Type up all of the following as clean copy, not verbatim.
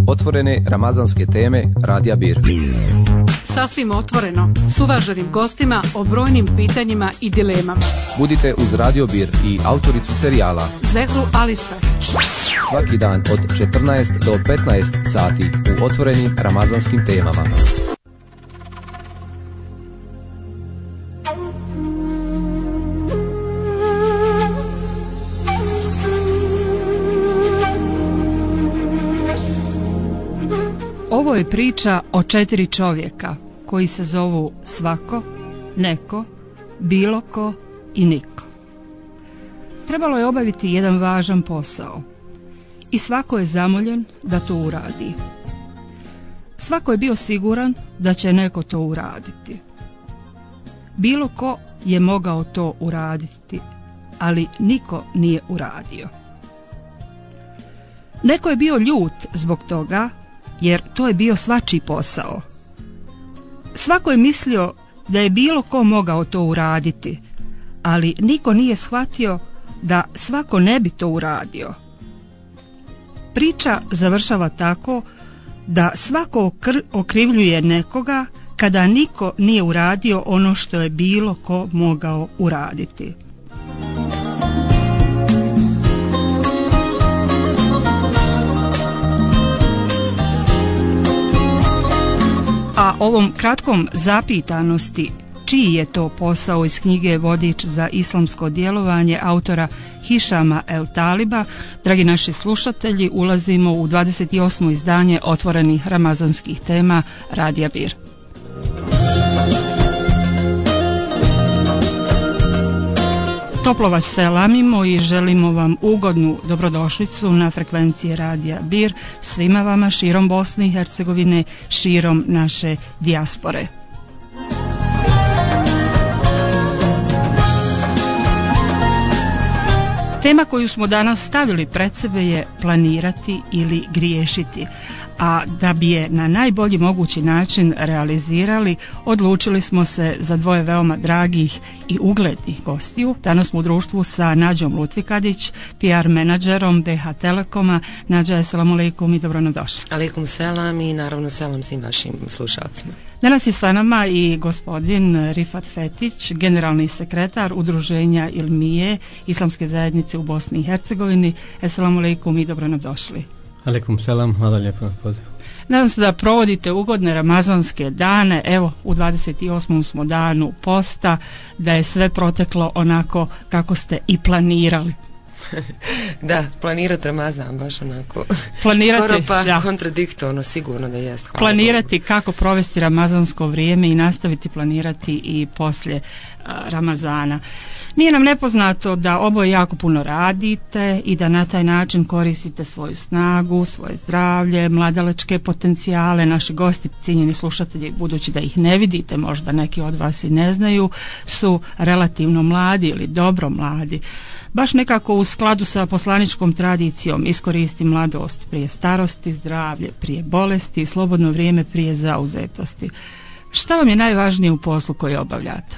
Otvorene ramazanske teme Radija Bir. Sasvim otvoreno, s uvaženim gostima o brojnim pitanjima i dilemama. Budite uz Radio Bir i autoricu serijala Zehru Alistahić. Svaki dan od 14 do 15 sati u otvorenim ramazanskim temama. Ovo je priča o 4 čovjeka koji se zovu svako, neko, bilo ko i niko. Trebalo je obaviti jedan važan posao i svako je zamoljen da to uradi. Svako je bio siguran da će neko to uraditi. Bilo ko je mogao to uraditi, ali niko nije uradio. Neko je bio ljut zbog toga, jer to je bio svačiji posao. Svako je mislio da je bilo ko mogao to uraditi, ali niko nije shvatio da svako ne bi to uradio. Priča završava tako da svako okrivljuje nekoga kada niko nije uradio ono što je bilo ko mogao uraditi. A ovom kratkom zapitanosti čiji je to posao iz knjige Vodič za islamsko djelovanje autora Hišama El Taliba, dragi naši slušatelji, ulazimo u 28. izdanje otvorenih ramazanskih tema Radija Bir. Toplo vas selamimo i želimo vam ugodnu dobrodošlicu na frekvencije Radija Bir svima vama širom Bosne i Hercegovine, širom naše dijaspore. Tema koju smo danas stavili pred sebe je planirati ili griješiti, a da bi je na najbolji mogući način realizirali, odlučili smo se za dvoje veoma dragih i uglednih gostiju. Danas smo u društvu sa Nađom Lutvikadić, PR menadžerom BH Telekoma. Nađa, assalamu alaikum i dobro nam došli. Alaikum selam i naravno selam svim vašim slušalcima. Danas je sa nama i gospodin Rifat Fetić, generalni sekretar Udruženja Ilmije Islamske zajednice u Bosni i Hercegovini. Assalamu alaikum i dobro nam došli. Alaikum selam, hvala lijepo na pozivu. Nadam se da provodite ugodne ramazanske dane. Evo, u 28. smo danu posta, da je sve proteklo onako kako ste i planirali. Da, planirati Ramazan baš onako skoro pa kontradiktorno, sigurno da jest. Hvala planirati Bogu. Kako provesti ramazansko vrijeme i nastaviti planirati i poslije Ramazana. Nije nam nepoznato da oboje jako puno radite i da na taj način koristite svoju snagu, svoje zdravlje, mladalačke potencijale. Naši gosti, cijenjeni slušatelji, budući da ih ne vidite, možda neki od vas i ne znaju, su relativno mladi ili dobro mladi. Baš nekako u skladu sa poslaničkom tradicijom iskoristi mladost prije starosti, zdravlje prije bolesti, slobodno vrijeme prije zauzetosti. Šta vam je najvažnije u poslu koji obavljate?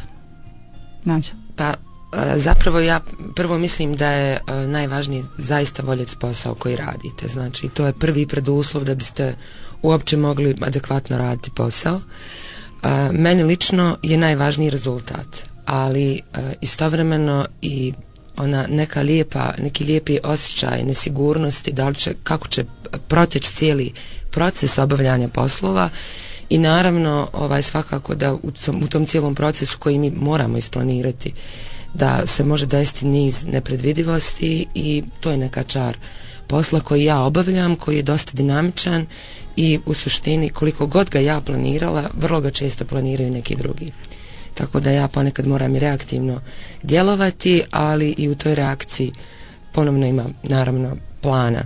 Nađa. Pa zapravo ja prvo mislim da je najvažnije zaista voljeti posao koji radite. Znači to je prvi preduslov da biste uopće mogli adekvatno raditi posao. Meni lično je najvažniji rezultat, ali istovremeno i ona neki lijepi osjećaj nesigurnosti, kako će proteći cijeli proces obavljanja poslova i naravno svakako da u tom cijelom procesu koji mi moramo isplanirati da se može desiti niz nepredvidivosti i to je neka čar posla koji ja obavljam, koji je dosta dinamičan i u suštini koliko god ga ja planirala, vrlo ga često planiraju neki drugi. Tako da ja ponekad moram i reaktivno djelovati, ali i u toj reakciji ponovno ima naravno plana.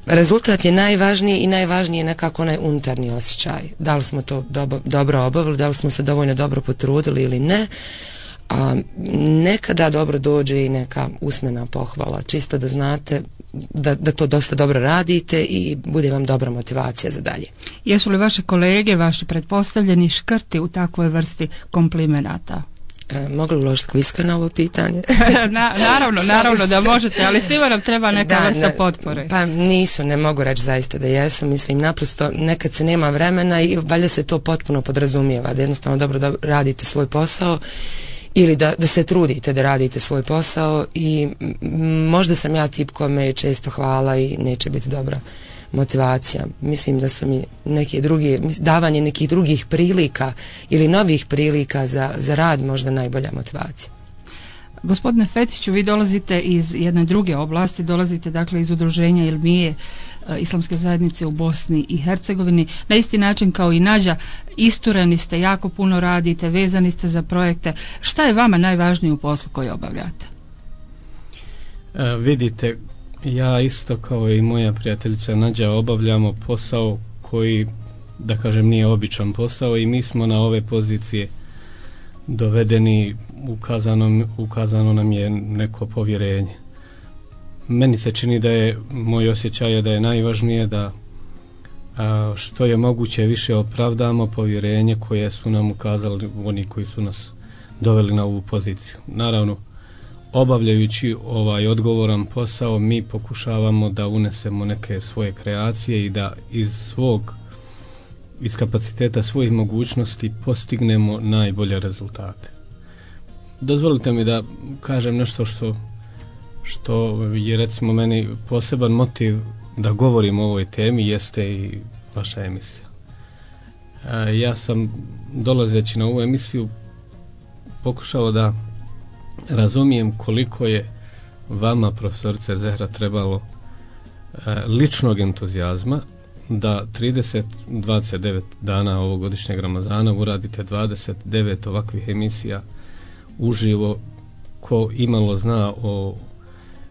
Rezultat je najvažniji i najvažniji je nekako onaj unutarnji osjećaj. Da li smo to dobro obavili, da li smo se dovoljno dobro potrudili ili ne. Nekada dobro dođe i neka usmena pohvala, čisto da znate da to dosta dobro radite i bude vam dobra motivacija za dalje. Jesu li vaše kolege, vaši pretpostavljeni škrti u takvoj vrsti komplimenata? Mogu li uložiti kviska na ovo pitanje? naravno da možete, ali svima nam treba neka vrsta potpore. Pa nisu, ne mogu reći zaista da jesu, mislim naprosto nekad se nema vremena i valjda se to potpuno podrazumijeva, da jednostavno dobro radite svoj posao ili da se trudite da radite svoj posao i možda sam ja tip kome je često hvala i neće biti dobra motivacija. Mislim da su mi davanje nekih drugih prilika ili novih prilika za rad možda najbolja motivacija. Gospodine Fetiću, vi dolazite iz jedne druge oblasti, dolazite dakle iz udruženja Ilmije Islamske zajednice u Bosni i Hercegovini. Na isti način kao i Nađa, istureni ste, jako puno radite, vezani ste za projekte. Šta je vama najvažnije u poslu koji obavljate? Vidite, ja isto kao i moja prijateljica Nađa obavljamo posao koji, da kažem, nije običan posao i mi smo na ove pozicije dovedeni, ukazano nam je neko povjerenje. Meni se čini da je, moj osjećaj je da je najvažnije da što je moguće više opravdamo povjerenje koje su nam ukazali oni koji su nas doveli na ovu poziciju. Naravno, obavljajući ovaj odgovoran posao mi pokušavamo da unesemo neke svoje kreacije i da iz kapaciteta svojih mogućnosti postignemo najbolje rezultate. Dozvolite mi da kažem nešto što je recimo meni poseban motiv da govorim o ovoj temi, jeste i vaša emisija. Ja sam, dolazeći na ovu emisiju, pokušao da razumijem koliko je vama, profesorice Zehra, trebalo ličnog entuzijazma da 29 dana ovogodišnjeg Ramazana uradite 29 ovakvih emisija uživo. Ko imalo zna o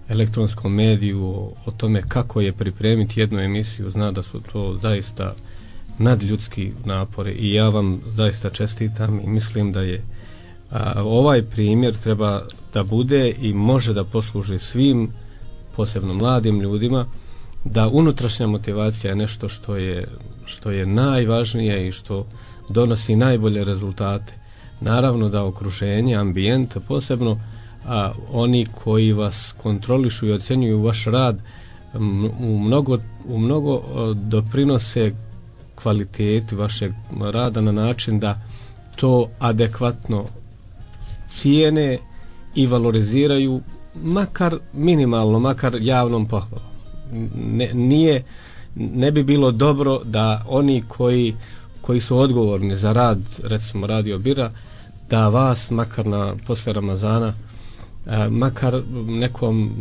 elektronskom mediju, o tome kako je pripremiti jednu emisiju, zna da su to zaista nadljudski napori i ja vam zaista čestitam i mislim da je ovaj primjer treba da bude i može da posluži svim, posebno mladim ljudima, da unutrašnja motivacija je nešto što je najvažnije i što donosi najbolje rezultate. Naravno da okruženje, ambijent, posebno oni koji vas kontrolišu i ocjenjuju vaš rad u mnogo doprinose kvaliteti vašeg rada na način da to adekvatno cijene i valoriziraju, makar minimalno, makar javnom pohvalom. Ne bi bilo dobro da oni koji su odgovorni za rad, recimo Radio Bira, da vas makar posle Ramazana makar nekom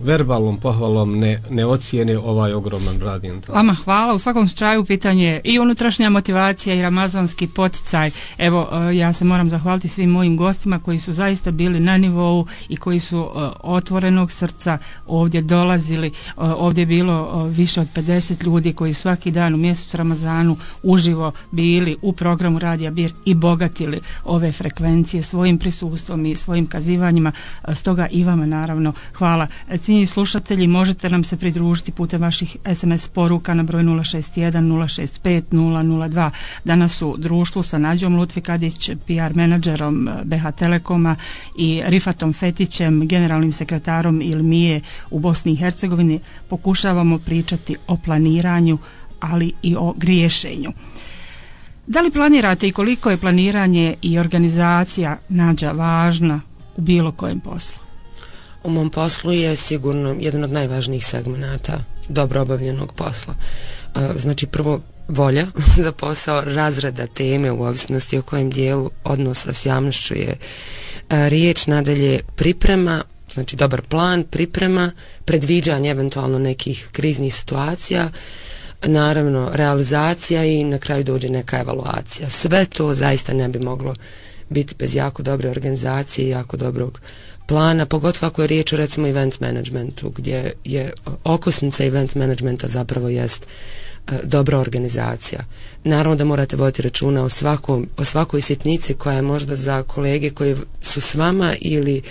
verbalnom pohvalom ne ocijene ovaj ogroman rad. Vama hvala. U svakom slučaju pitanje i unutrašnja motivacija i ramazanski poticaj. Evo, ja se moram zahvaliti svim mojim gostima koji su zaista bili na nivou i koji su otvorenog srca ovdje dolazili. Ovdje je bilo više od 50 ljudi koji svaki dan u mjesecu Ramazanu uživo bili u programu Radija Bir i bogatili ove frekvencije svojim prisustvom i svojim kazivanjima. Stoga i vama naravno hvala. Cijenjeni slušatelji, možete nam se pridružiti putem vaših SMS poruka na broj 061 065 002. Danas u društvu sa Nađom Lutvikadić, PR menadžerom BH Telekoma, i Rifatom Fetićem, generalnim sekretarom Ilmije u Bosni i Hercegovini, pokušavamo pričati o planiranju, ali i o griješenju. Da li planirate i koliko je planiranje i organizacija, Nađa, važna u bilo kojem poslu? U mom poslu je sigurno jedan od najvažnijih segmenata dobro obavljenog posla. Znači, prvo, volja za posao, razrada teme u ovisnosti o kojem dijelu odnosa s javnošću je riječ, nadalje priprema, znači dobar plan, priprema, predviđanje eventualno nekih kriznih situacija, naravno realizacija i na kraju dođe neka evaluacija. Sve to zaista ne bi moglo biti bez jako dobre organizacije i jako dobrog plana, pogotovo ako je riječ o recimo event managementu, gdje je okosnica event managementa zapravo jest dobra organizacija. Naravno da morate voditi računa o svakoj sitnici koja je možda za kolege koji su s vama ili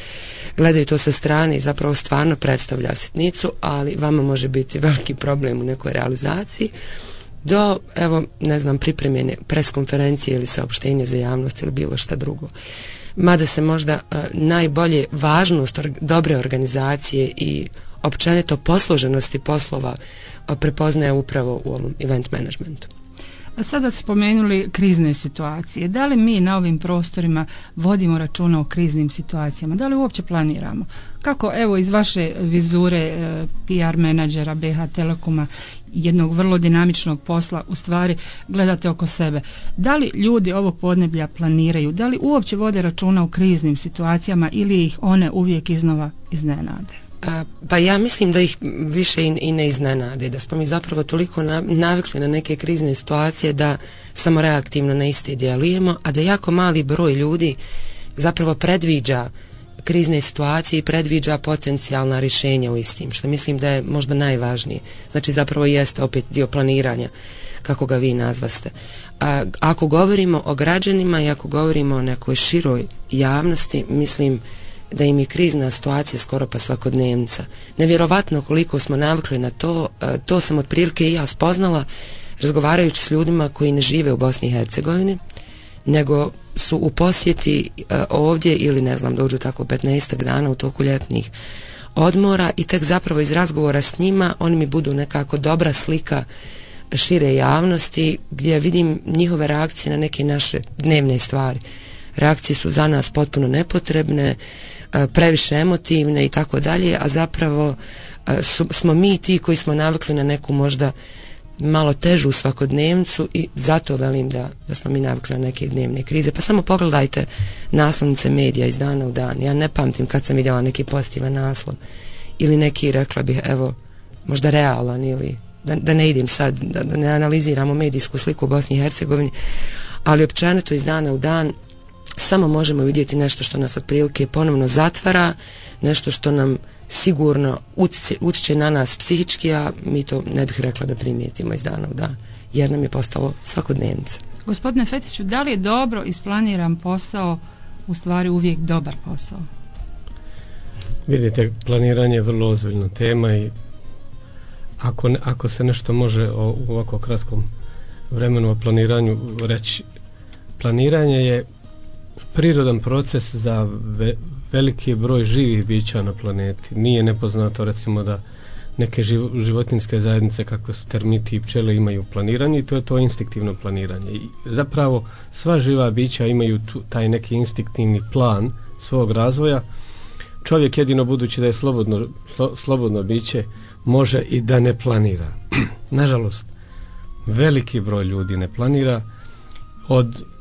gledaju to sa strane i zapravo stvarno predstavlja sitnicu, ali vama može biti veliki problem u nekoj realizaciji, do, evo, ne znam, pripremljene preskonferencije ili saopštenje za javnost ili bilo šta drugo. mada se možda najbolje važnost dobre organizacije i općenito posloženosti poslova prepoznaje upravo u ovom event managementu. A sada spomenuli krizne situacije. Da li mi na ovim prostorima vodimo računa o kriznim situacijama? Da li uopće planiramo? Kako, evo, iz vaše vizure PR menadžera BH Telekoma, jednog vrlo dinamičnog posla, u stvari gledate oko sebe. Da li ljudi ovog podneblja planiraju? Da li uopće vode računa o kriznim situacijama ili ih one uvijek iznova iznenade? Pa ja mislim da ih više i ne iznenade, da smo mi zapravo toliko navikli na neke krizne situacije da samo reaktivno na iste djelujemo, a da jako mali broj ljudi zapravo predviđa krizne situacije i predviđa potencijalna rješenja u istim, što mislim da je možda najvažnije. Znači zapravo jeste opet dio planiranja, kako ga vi nazvaste. Ako govorimo o građanima i ako govorimo o nekoj široj javnosti, mislim da im je krizna situacija skoro pa svakodnevnica. Nevjerovatno koliko smo navikli na to, to sam otprilike i ja spoznala razgovarajući s ljudima koji ne žive u Bosni i Hercegovini, nego su u posjeti ovdje ili ne znam, dođu tako 15 dana u toku ljetnih odmora i tek zapravo iz razgovora s njima oni mi budu nekako dobra slika šire javnosti gdje vidim njihove reakcije na neke naše dnevne stvari. Reakcije su za nas potpuno nepotrebne, previše emotivne i tako dalje, a zapravo smo mi ti koji smo navikli na neku možda malo težu svakodnevnicu i zato velim da smo mi navikli na neke dnevne krize. Pa samo pogledajte naslovnice medija iz dana u dan. Ja ne pamtim kad sam vidjela neki pozitivan naslov ili neki, rekla bih, evo, možda realan ili da ne idem sad, da ne analiziramo medijsku sliku u Bosni i Hercegovini, ali općenito iz dana u dan samo možemo vidjeti nešto što nas otprilike ponovno zatvara, nešto što nam sigurno utječe na nas psihički, a mi to ne bih rekla da primijetimo iz dana u dan, jer nam je postalo svakodnevnica. Gospodine Fetiću, da li je dobro isplaniran posao u stvari uvijek dobar posao? Vidite, planiranje je vrlo ozbiljna tema i ako se nešto može u ovako kratkom vremenu o planiranju reći, planiranje je prirodan proces za veliki broj živih bića na planeti. Nije nepoznato recimo da neke životinjske zajednice kako su termiti i pčele imaju planiranje i to je to instinktivno planiranje. I zapravo sva živa bića imaju taj neki instinktivni plan svog razvoja. Čovjek jedino budući da je slobodno biće može i da ne planira. Nažalost, veliki broj ljudi ne planira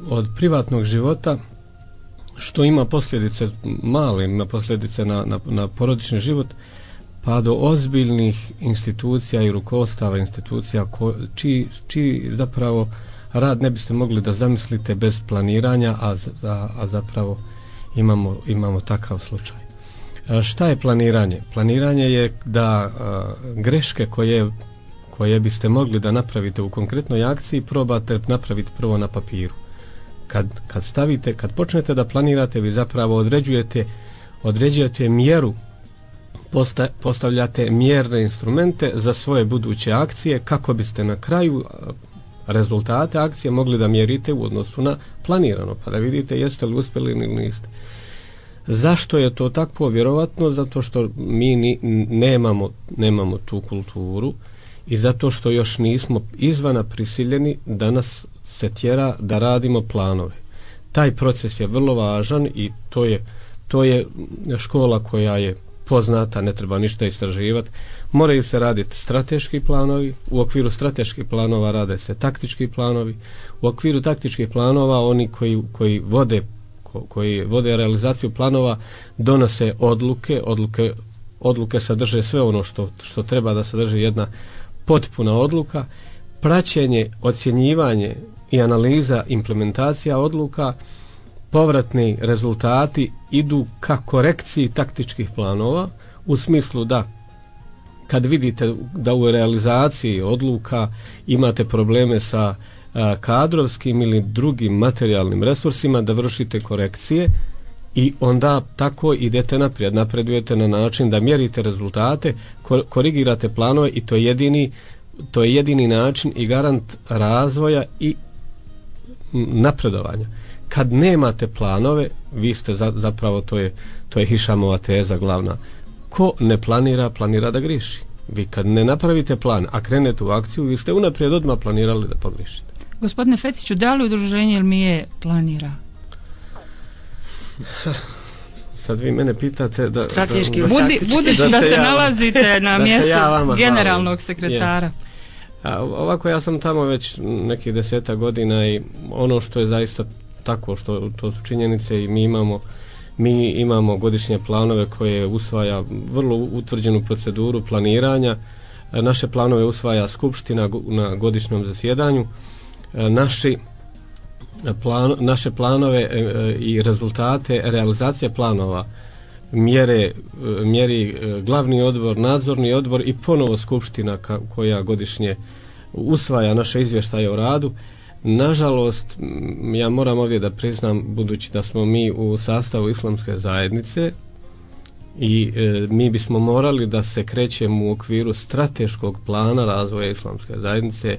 od privatnog života, što ima posljedice male, ima posljedice na porodični život, pa do ozbiljnih institucija i rukovodstava institucija čiji zapravo rad ne biste mogli da zamislite bez planiranja, a zapravo imamo takav slučaj. Šta je planiranje? Planiranje je da greške koje biste mogli da napravite u konkretnoj akciji probate napraviti prvo na papiru. Kad počnete da planirate, vi zapravo određujete mjeru, postavljate mjerne instrumente za svoje buduće akcije kako biste na kraju rezultate akcije mogli da mjerite u odnosu na planirano, pa da vidite jeste li uspjeli ili niste. Zašto je to tako? Vjerovatno zato što mi nemamo tu kulturu i zato što još nismo izvana prisiljeni da nas se tjera da radimo planove. Taj proces je vrlo važan i to je škola koja je poznata, ne treba ništa istraživati. Moraju se raditi strateški planovi, u okviru strateških planova rade se taktički planovi, u okviru taktičkih planova oni koji vode realizaciju planova donose odluke sadrže sve ono što treba da sadrži jedna potpuna odluka, praćenje, ocjenjivanje i analiza implementacija odluka, povratni rezultati idu ka korekciji taktičkih planova u smislu da kad vidite da u realizaciji odluka imate probleme sa kadrovskim ili drugim materijalnim resursima, da vršite korekcije i onda tako idete naprijed, napredujete na način da mjerite rezultate, korigirate planove i to je jedini način i garant razvoja i napredovanja. kad nemate planove, vi ste zapravo, to je Hišamova teza glavna, ko ne planira, planira da griješi. Vi kad ne napravite plan, a krenete u akciju, vi ste unaprijed odmah planirali da pogriješite. Gospodine Fetiću, da li udruženje Ilmije planira? Sad vi mene pitate da... Strateški budući da se nalazite na mjestu generalnog sekretara. Ovako, ja sam tamo već nekih 10 godina i ono što je zaista tako, što to su činjenice i mi imamo godišnje planove koje usvaja vrlo utvrđenu proceduru planiranja. Naše planove usvaja skupština na godišnjem zasjedanju. Naše planove i rezultate realizacije planova mjeri glavni odbor, nadzorni odbor i ponovo skupština koja godišnje usvaja naše izvještaje o radu. Nažalost, ja moram ovdje da priznam, budući da smo mi u sastavu Islamske zajednice i mi bismo morali da se krećemo u okviru strateškog plana razvoja Islamske zajednice,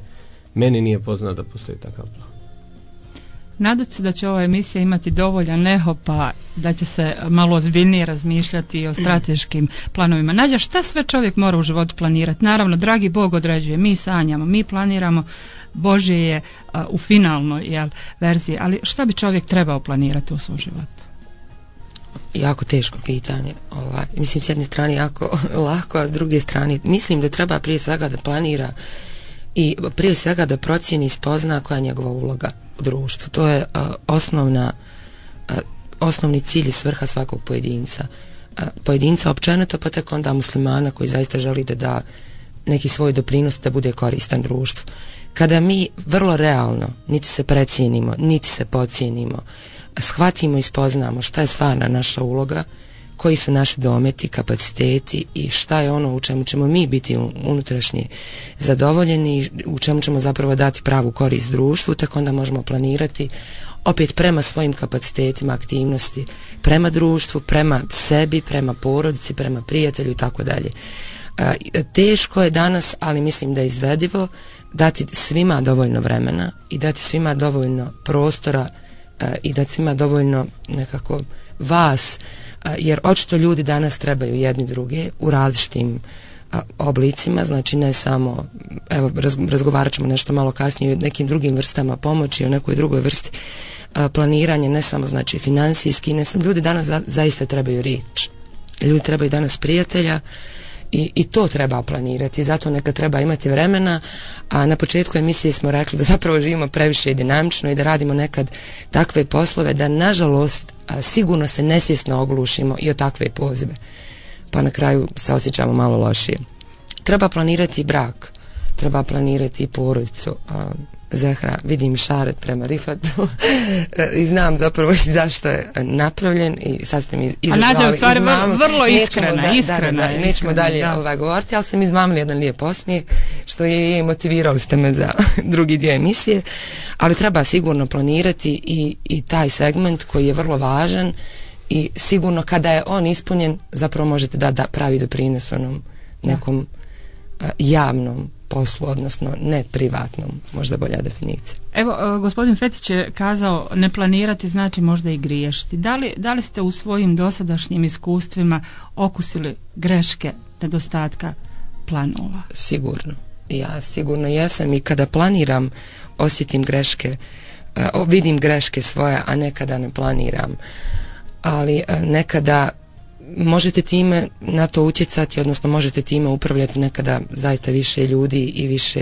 meni nije poznato da postoji takav plan. Nadate se da će ova emisija imati dovoljan eho, pa da će se malo ozbiljnije razmišljati o strateškim planovima. Nađa, šta sve čovjek mora u životu planirati? Naravno, dragi Bog određuje, mi sanjamo, mi planiramo, Božje je u finalnoj verziji, ali šta bi čovjek trebao planirati u svom životu? Jako teško pitanje. Mislim, s jedne strane jako lako, a s druge strane mislim da treba prije svega da planira i prije svega da procijeni i spozna koja je njegova uloga u društvu. To je osnovni cilj i svrha svakog pojedinca općenito, pa tek onda muslimana koji zaista želi da da neki svoj doprinos da bude koristan društvu. Kada mi vrlo realno niti se precijenimo, niti se podcijenimo, shvatimo i spoznamo šta je stvarna naša uloga, koji su naši dometi, kapaciteti i šta je ono u čemu ćemo mi biti unutrašnje zadovoljeni, u čemu ćemo zapravo dati pravu korist društvu, tako onda možemo planirati opet prema svojim kapacitetima, aktivnosti, prema društvu, prema sebi, prema porodici, prema prijatelju i tako dalje. Teško je danas, ali mislim da je izvedivo dati svima dovoljno vremena i dati svima dovoljno prostora i dati svima dovoljno nekako vas, jer očito ljudi danas trebaju jedni druge u različitim oblicima, znači ne samo, evo razgovarat ćemo nešto malo kasnije o nekim drugim vrstama pomoći, o nekoj drugoj vrsti planiranja, ne samo znači financijski, ne samo, ljudi danas zaista trebaju riječ, ljudi trebaju danas prijatelja i to treba planirati, zato nekad treba imati vremena, a na početku emisije smo rekli da zapravo živimo previše dinamično i da radimo nekad takve poslove da nažalost sigurno se nesvjesno oglušimo i o takve pozive, pa na kraju se osjećamo malo lošije. Treba planirati brak, treba planirati porodicu. Zehra, vidim šaret prema Rifatu i znam zapravo zašto je napravljen i sad ste mi izazvali. A Nađa u stvari vrlo iskrena. Nećemo dalje govoriti, ali sam izmamili jedan lijep osmijeh što je motivirali ste me za drugi dio emisije, ali treba sigurno planirati i taj segment koji je vrlo važan i sigurno kada je on ispunjen zapravo možete da pravi doprinos onom nekom javnom poslu, odnosno ne privatnom, možda bolja definicija. Evo, gospodin Fetić je kazao ne planirati znači možda i griješiti. Da li ste u svojim dosadašnjim iskustvima okusili greške nedostatka planova? Sigurno. Ja sigurno jesam i kada planiram osjetim greške, vidim greške svoje, a nekada ne planiram. Ali nekada možete time na to utjecati, odnosno možete time upravljati nekada zaista više ljudi i više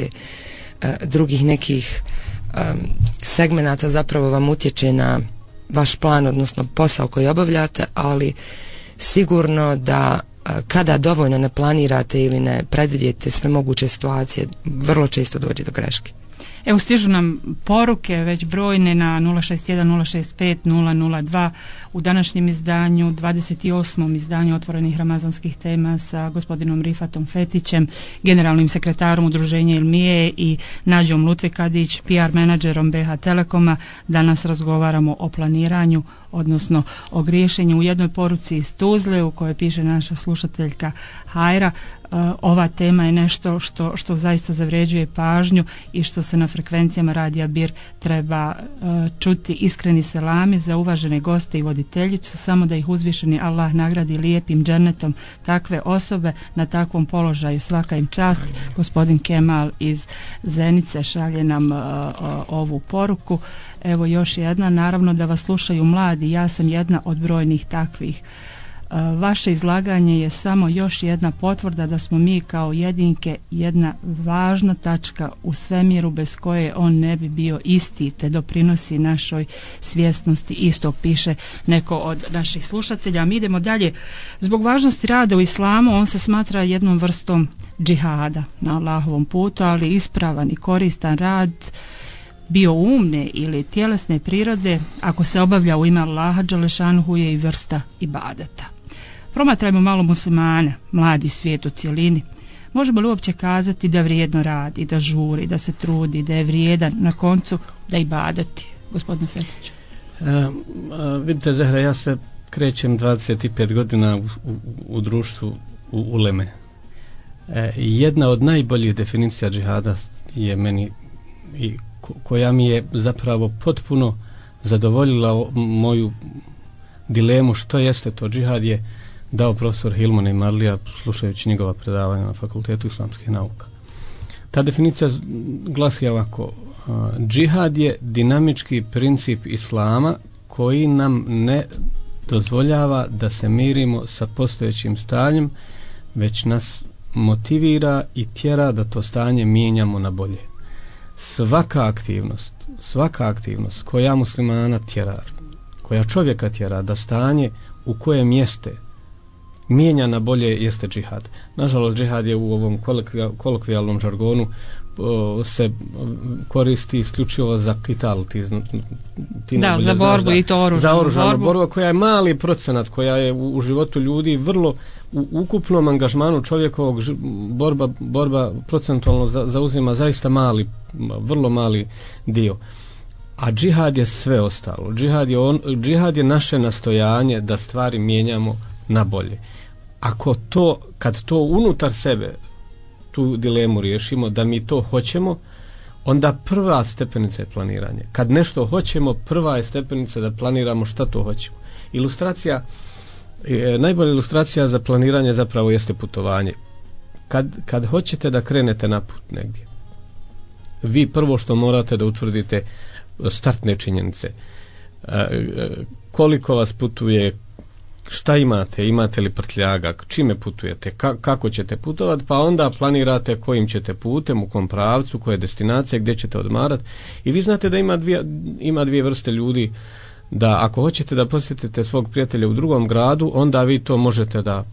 drugih nekih segmenata zapravo vam utječe na vaš plan, odnosno posao koji obavljate, ali sigurno da kada dovoljno ne planirate ili ne predvidjete sve moguće situacije, vrlo često dođe do greške. Evo, stižu nam poruke već brojne na 061-065-002 u današnjem izdanju, 28. izdanju Otvorenih ramazanskih tema sa gospodinom Rifatom Fetićem, generalnim sekretarom udruženja Ilmije i Nađom Lutvikadić, PR menadžerom BH Telekoma. Danas razgovaramo o planiranju, odnosno o griješenju. U jednoj poruci iz Tuzle u kojoj piše naša slušateljka Hajra, ova tema je nešto što zaista zavređuje pažnju i što se na frekvencijama Radija Bir treba čuti. Iskreni selami za uvažene goste i voditeljicu, samo da ih uzvišeni Allah nagradi lijepim džennetom takve osobe na takvom položaju, svaka im čast. Gospodin Kemal iz Zenice šalje nam ovu poruku. Evo još jedna, naravno da vas slušaju mladi, ja sam jedna od brojnih takvih. Vaše izlaganje je samo još jedna potvrda da smo mi kao jedinke jedna važna tačka u svemiru bez koje on ne bi bio isti, te doprinosi našoj svjesnosti istog, piše neko od naših slušatelja. Mi idemo dalje. Zbog važnosti rada u islamu on se smatra jednom vrstom džihada na Allahovom putu, ali ispravan i koristan rad bio umne ili tjelesne prirode, ako se obavlja u ime Allaha dželešanuhu, je i vrsta ibadeta. Promatrajmo malo muslimana, mladi svijet u cjelini. Možemo li uopće kazati da vrijedno radi, da žuri, da se trudi, da je vrijedan na koncu da ibadeti? Gospodine Fetiću. Vidite, Zahra, ja se krećem 25 godina u društvu u uleme. Jedna od najboljih definicija džihada je meni i koja mi je zapravo potpuno zadovoljila moju dilemu što jeste to džihad, je dao profesor Hilman i Marlija slušajući njegova predavanja na Fakultetu islamskih nauka. Ta definicija glasi ovako: džihad je dinamički princip islama koji nam ne dozvoljava da se mirimo sa postojećim stanjem, već nas motivira i tjera da to stanje mijenjamo na bolje. Svaka aktivnost koja muslimana tjera, koja čovjeka tjera da stanje u kojem jeste mijenja na bolje, jeste džihad. Nažalost, džihad je u ovom kolokvijalnom žargonu se koristi isključivo za kital, za borbu i to oružanu. Za oružanu borbu koja je mali procenat, koja je u životu ljudi vrlo u ukupnom angažmanu čovjekovog borba procentualno zauzima zaista vrlo mali dio. A džihad je sve ostalo. Džihad je naše nastojanje da stvari mijenjamo na bolje. Kad to unutar sebe tu dilemu riješimo da mi to hoćemo, onda prva stepenica je planiranje. Kad nešto hoćemo, prva je stepenica da planiramo šta to hoćemo. Najbolja ilustracija za planiranje zapravo jeste putovanje. Kad hoćete da krenete na put negdje, vi prvo što morate da utvrdite startne činjenice. Koliko vas putuje, šta imate li prtljaga, čime putujete, kako ćete putovati, pa onda planirate kojim ćete putem, u kom pravcu, koje destinacije, gdje ćete odmarati. I vi znate da ima dvije vrste ljudi, da ako hoćete da posjetite svog prijatelja u drugom gradu, onda vi to možete da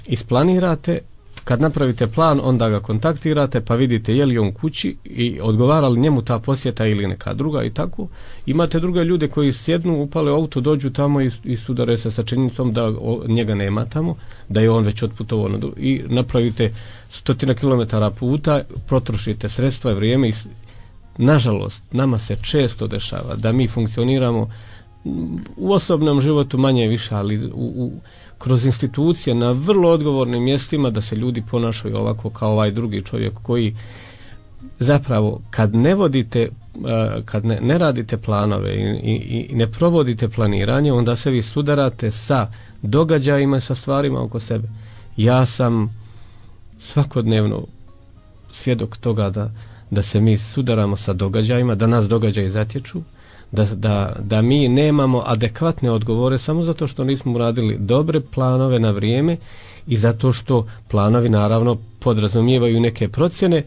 isplanirate. Kad napravite plan, onda ga kontaktirate pa vidite je li on kući i odgovara li njemu ta posjeta ili neka druga i tako. Imate druge ljude koji sjednu, upale auto, dođu tamo i sudare se sa činjenicom da njega nema tamo, da je on već otputovao i napravite 100 kilometara puta, potrošite sredstva i vrijeme. Nažalost, nama se često dešava da mi funkcioniramo u osobnom životu manje više, ali kroz institucije na vrlo odgovornim mjestima, da se ljudi ponašaju ovako kao ovaj drugi čovjek koji zapravo kad ne radite planove i ne provodite planiranje, onda se vi sudarate sa događajima i sa stvarima oko sebe. Ja sam svakodnevno svjedok toga da se mi sudaramo sa događajima, da nas događaji zatječu, da mi nemamo adekvatne odgovore samo zato što nismo uradili dobre planove na vrijeme i zato što planovi naravno podrazumijevaju neke procjene,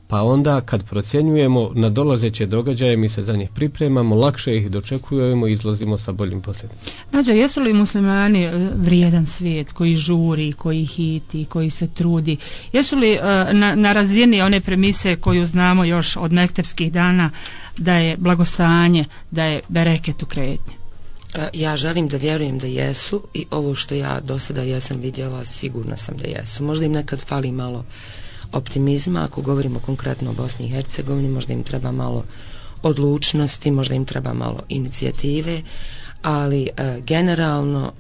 pa onda kad procjenjujemo na dolazeće događaje mi se za njih pripremamo, lakše ih dočekujemo i izlazimo sa boljim posljedicama. Nađa, jesu li muslimani vrijedan svijet koji žuri, koji hiti, koji se trudi? Jesu li na razini one premise koju znamo još od mektepskih dana da je blagostanje, da je bereket u kretnji? Ja želim da vjerujem da jesu i ovo što ja do sada jesam vidjela, sigurna sam da jesu. Možda im nekad fali malo optimizma, ako govorimo konkretno o Bosni i Hercegovini, možda im treba malo odlučnosti, možda im treba malo inicijative, ali generalno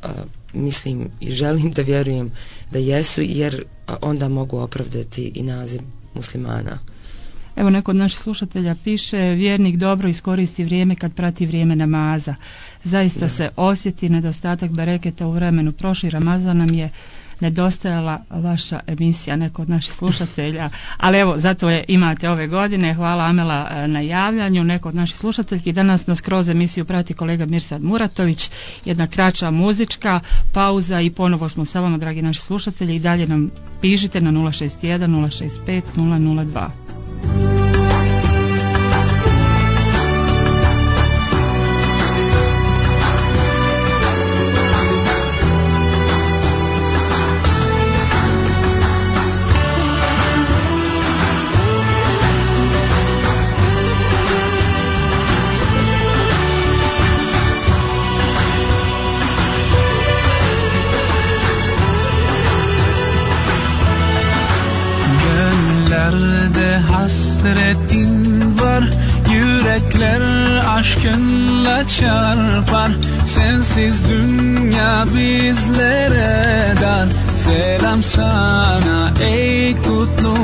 mislim i želim da vjerujem da jesu, jer onda mogu opravdati i naziv muslimana. Evo, neko od naših slušatelja piše: vjernik dobro iskoristi vrijeme kad prati vrijeme namaza. Zaista se osjeti nedostatak bereketa u vremenu. Prošli Ramazan nam je nedostajala vaša emisija, neko od naših slušatelja, ali evo, zato je imate ove godine. Hvala Amela na javljanju. Neko od naših slušateljki. Danas nas kroz emisiju prati kolega Mirsad Muratović. Jedna kraća muzička pauza i ponovo smo sa vama, dragi naši slušatelji, i dalje nam pišite na 061 065 002. Hasretin var, yürekler aşkınla çarpar. Sensiz dünya bizlere dar. Selam sana ey kutlu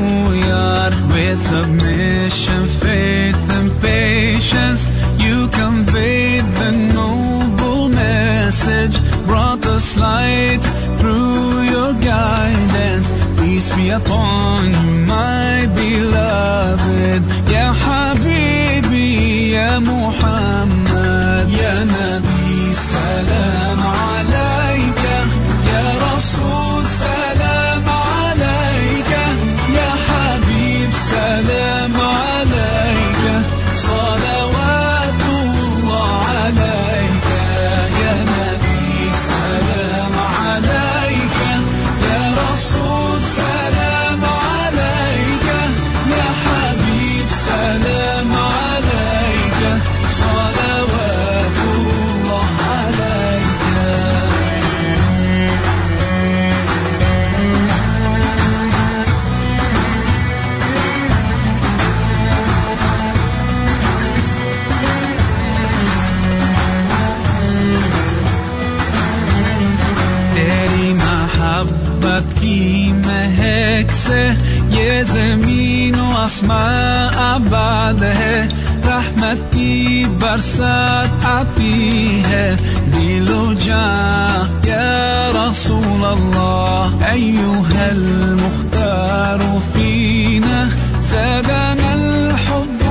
yar. With submission, faith and patience, you conveyed the noble message. Brought us light through your guidance. Peace be upon you, my beloved. Ya Habibi, Ya Muhammad, Ya Nabi, salam alayka. Ya Rasul, salam alayka. Ya Habib, salam alayka. Salavatullah alayka. Ya Nabi, salam alayka. Ya Rasul, salam alayka. Ya Habib, salam alayka. Salavatullah alayka. तेरी मोहब्बत की महक से ये ज़मीन व आसमां आबाद है. रहमत की बरसात आती है दिलो जां या रसूल अल्लाह. अय्युहल मुख्तार फीना ज़ादना الحب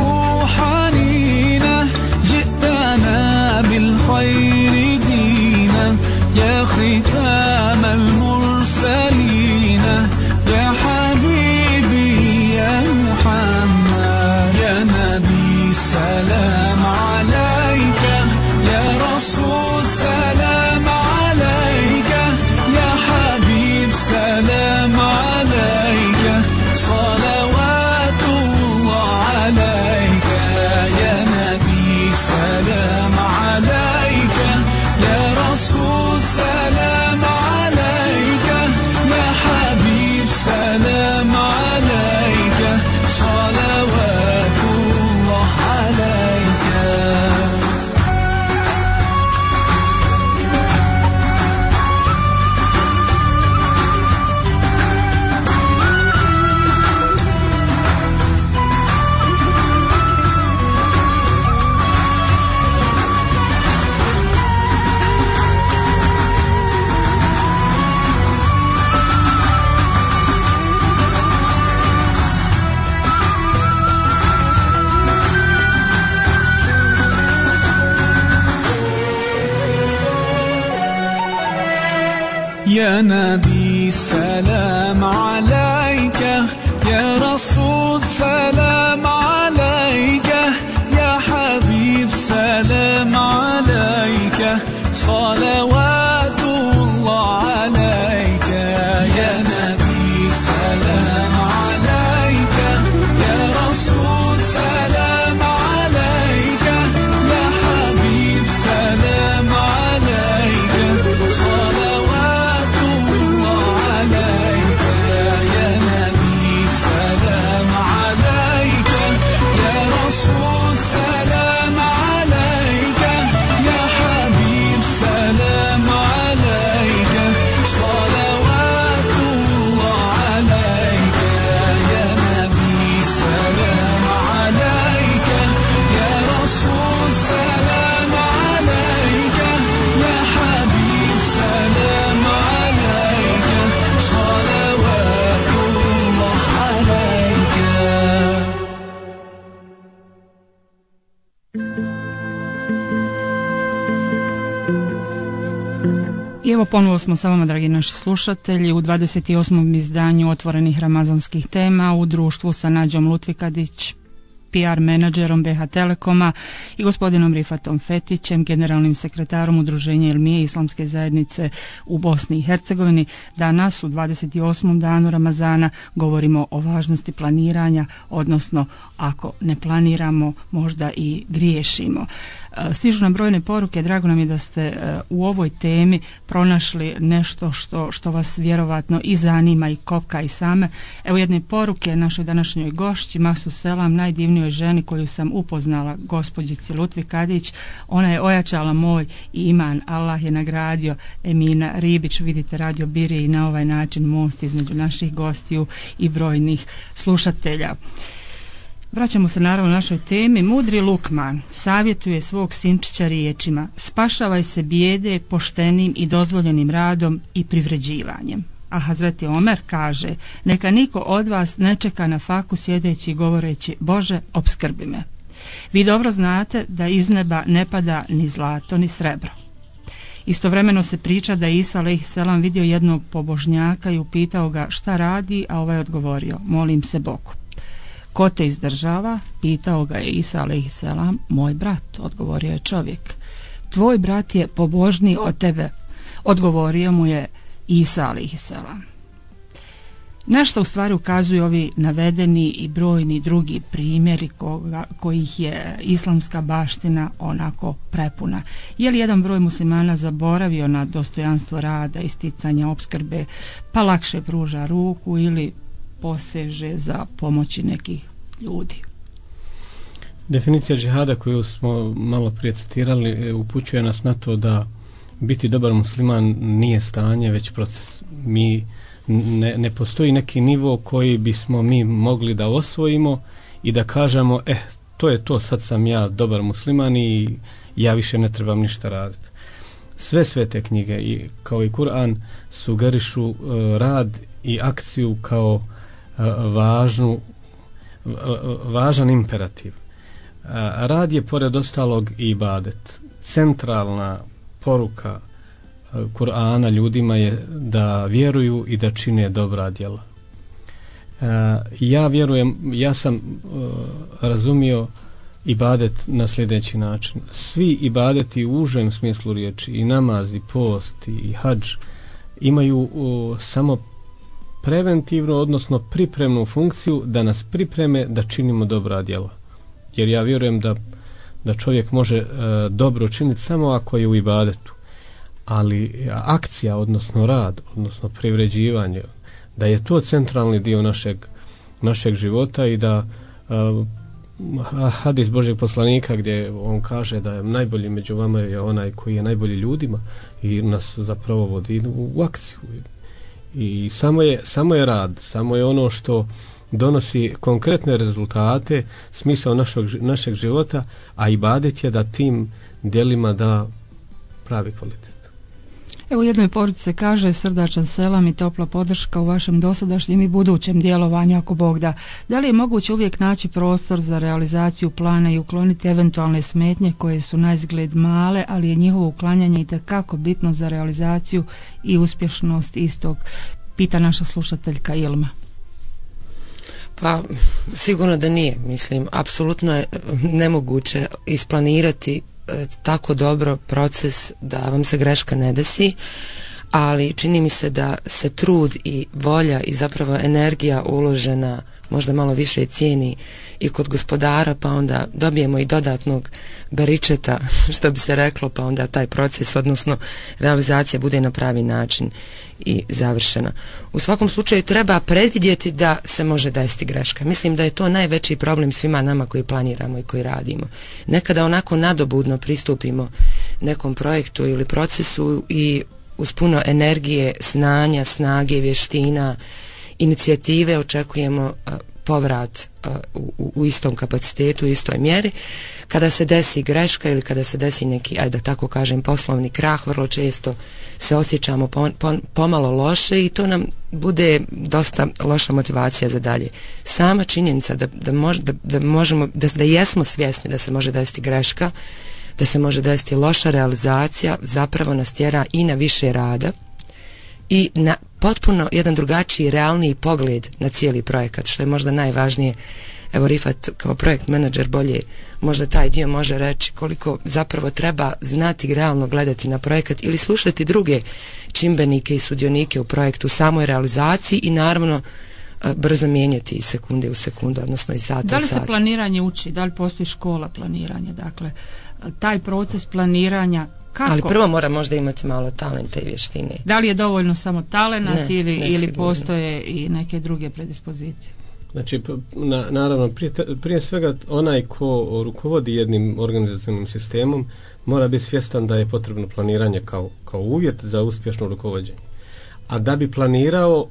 حنينا. جئتنا بالخير دينا يا ختام المرسلين. يا حبيبي يا محمد يا نبي سلام عليك. يا رسول سلام عليك. يا حبيب سلام عليك. صلوات الله عليك. يا نبي سلام عليك. يا رسول سلام عليك. يا حبيب سلام عليك. صلوات الله عليك. يا نبي سلام عليك. يا رسول سلام عليك. يا حبيب سلام عليك. صلوات الله عليك. يا نبي سلام عليك. يا رسول سلام عليك. يا حبيب سلام عليك. صلوات الله عليك. يا نبي سلام عليك. I evo ponovo smo sa vama, dragi naši slušatelji, u 28. izdanju Otvorenih ramazanskih tema u društvu sa Nađom Lutvikadić, PR menadžerom BH Telekoma, i gospodinom Rifatom Fetićem, generalnim sekretarom Udruženja Ilmije Islamske zajednice u Bosni i Hercegovini. Danas u 28. danu Ramazana govorimo o važnosti planiranja, odnosno ako ne planiramo možda i griješimo. Stižu nam brojne poruke, drago nam je da ste u ovoj temi pronašli nešto što vas vjerovatno i zanima i kopka i same. Evo jedne poruke našoj današnjoj gošći, Mahsu Selam, najdivnijoj ženi koju sam upoznala, gospođici Lutvikadić. Ona je ojačala moj iman, Allah je nagradio. Emina Ribić, vidite, Radio Birije i na ovaj način most između naših gostiju i brojnih slušatelja. Vraćamo se naravno našoj temi. Mudri Lukman savjetuje svog sinčića riječima: spašavaj se bijede poštenim i dozvoljenim radom i privređivanjem. A Hazreti Omer kaže: neka niko od vas ne čeka na faku sjedeći i govoreći: Bože, opskrbi me. Vi dobro znate da iz neba ne pada ni zlato ni srebro. Istovremeno se priča da je Isa alejhiselam vidio jednog pobožnjaka i upitao ga šta radi, a ovaj odgovorio: molim se Bogu. Ko te izdržava? Pitao ga je Isa alejhiselam. Moj brat, odgovorio je čovjek. Tvoj brat je pobožniji od tebe, odgovorio mu je Isa alejhiselam. Na što u stvari ukazuju ovi navedeni i brojni drugi primjeri kojih je islamska baština onako prepuna? Je li jedan broj muslimana zaboravio na dostojanstvo rada, isticanja opskrbe, pa lakše pruža ruku ili poseže za pomoći nekih ljudi? Definicija džihada koju smo malo prije citirali upućuje nas na to da biti dobar musliman nije stanje, već proces. Ne postoji neki nivo koji bismo mi mogli da osvojimo i da kažemo to je to, sad sam ja dobar musliman i ja više ne trebam ništa raditi. Sve svete knjige kao i Kur'an sugerišu rad i akciju kao važan imperativ. Rad je pored ostalog i ibadet. Centralna poruka Kur'ana ljudima je da vjeruju i da čine dobra djela. Ja vjerujem, ja sam razumio ibadet na sljedeći način. Svi ibadeti u užem smislu riječi, i namaz, i post, i hadž, imaju samo preventivnu, odnosno pripremnu funkciju da nas pripreme da činimo dobra djela. Jer ja vjerujem da čovjek može dobro činiti samo ako je u ibadetu. Ali akcija, odnosno rad, odnosno privređivanje, da je to centralni dio našeg života i da hadis Božjeg poslanika gdje on kaže da je najbolji među vama je onaj koji je najbolji ljudima i nas zapravo vodi u akciju. I samo je rad, samo je ono što donosi konkretne rezultate, smisao našeg života, a ibadet je da tim djelima da pravi kvalitet. Evo u jednoj poruci se kaže: srdačan selam i topla podrška u vašem dosadašnjem i budućem djelovanju, ako Bog da. Da li je moguće uvijek naći prostor za realizaciju plana i ukloniti eventualne smetnje koje su naizgled male, ali je njihovo uklanjanje itekako bitno za realizaciju i uspješnost istog? Pita naša slušateljka Ilma. Pa sigurno da nije. Mislim, apsolutno je nemoguće isplanirati tako dobro proces da vam se greška ne desi, ali čini mi se da se trud i volja i zapravo energija uložena možda malo više cijeni i kod gospodara, pa onda dobijemo i dodatnog baričeta, što bi se reklo, pa onda taj proces, odnosno realizacija, bude na pravi način i završena. U svakom slučaju treba predvidjeti da se može desiti greška. Mislim da je to najveći problem svima nama koji planiramo i koji radimo. Nekada onako nadobudno pristupimo nekom projektu ili procesu i uz puno energije, znanja, snage, vještina, inicijative očekujemo povrat u istom kapacitetu, u istoj mjeri. Kada se desi greška ili kada se desi neki, ajde da tako kažem, poslovni krah, vrlo često se osjećamo pomalo loše i to nam bude dosta loša motivacija za dalje. Sama činjenica da jesmo svjesni da se može desiti greška, da se može desiti loša realizacija, zapravo nas tjera i na više rada i na potpuno jedan drugačiji, realniji pogled na cijeli projekat, što je možda najvažnije. Evo Rifat kao projekt menadžer bolje možda taj dio može reći koliko zapravo treba znati realno gledati na projekat ili slušati druge čimbenike i sudionike u projektu, u samoj realizaciji i naravno brzo mijenjati iz sekunde u sekundu, odnosno iz sata u sat. Da li se planiranje uči? Da li postoji škola planiranja? Dakle, taj proces planiranja kako? Ali prvo mora možda imati malo talenta i vještine. Da li je dovoljno samo talenat ili sigurno. Postoje i neke druge predispozicije? Znači, naravno, prije svega onaj ko rukovodi jednim organizacijnim sistemom mora biti svjestan da je potrebno planiranje kao uvjet za uspješno rukovođenje. A da bi planirao,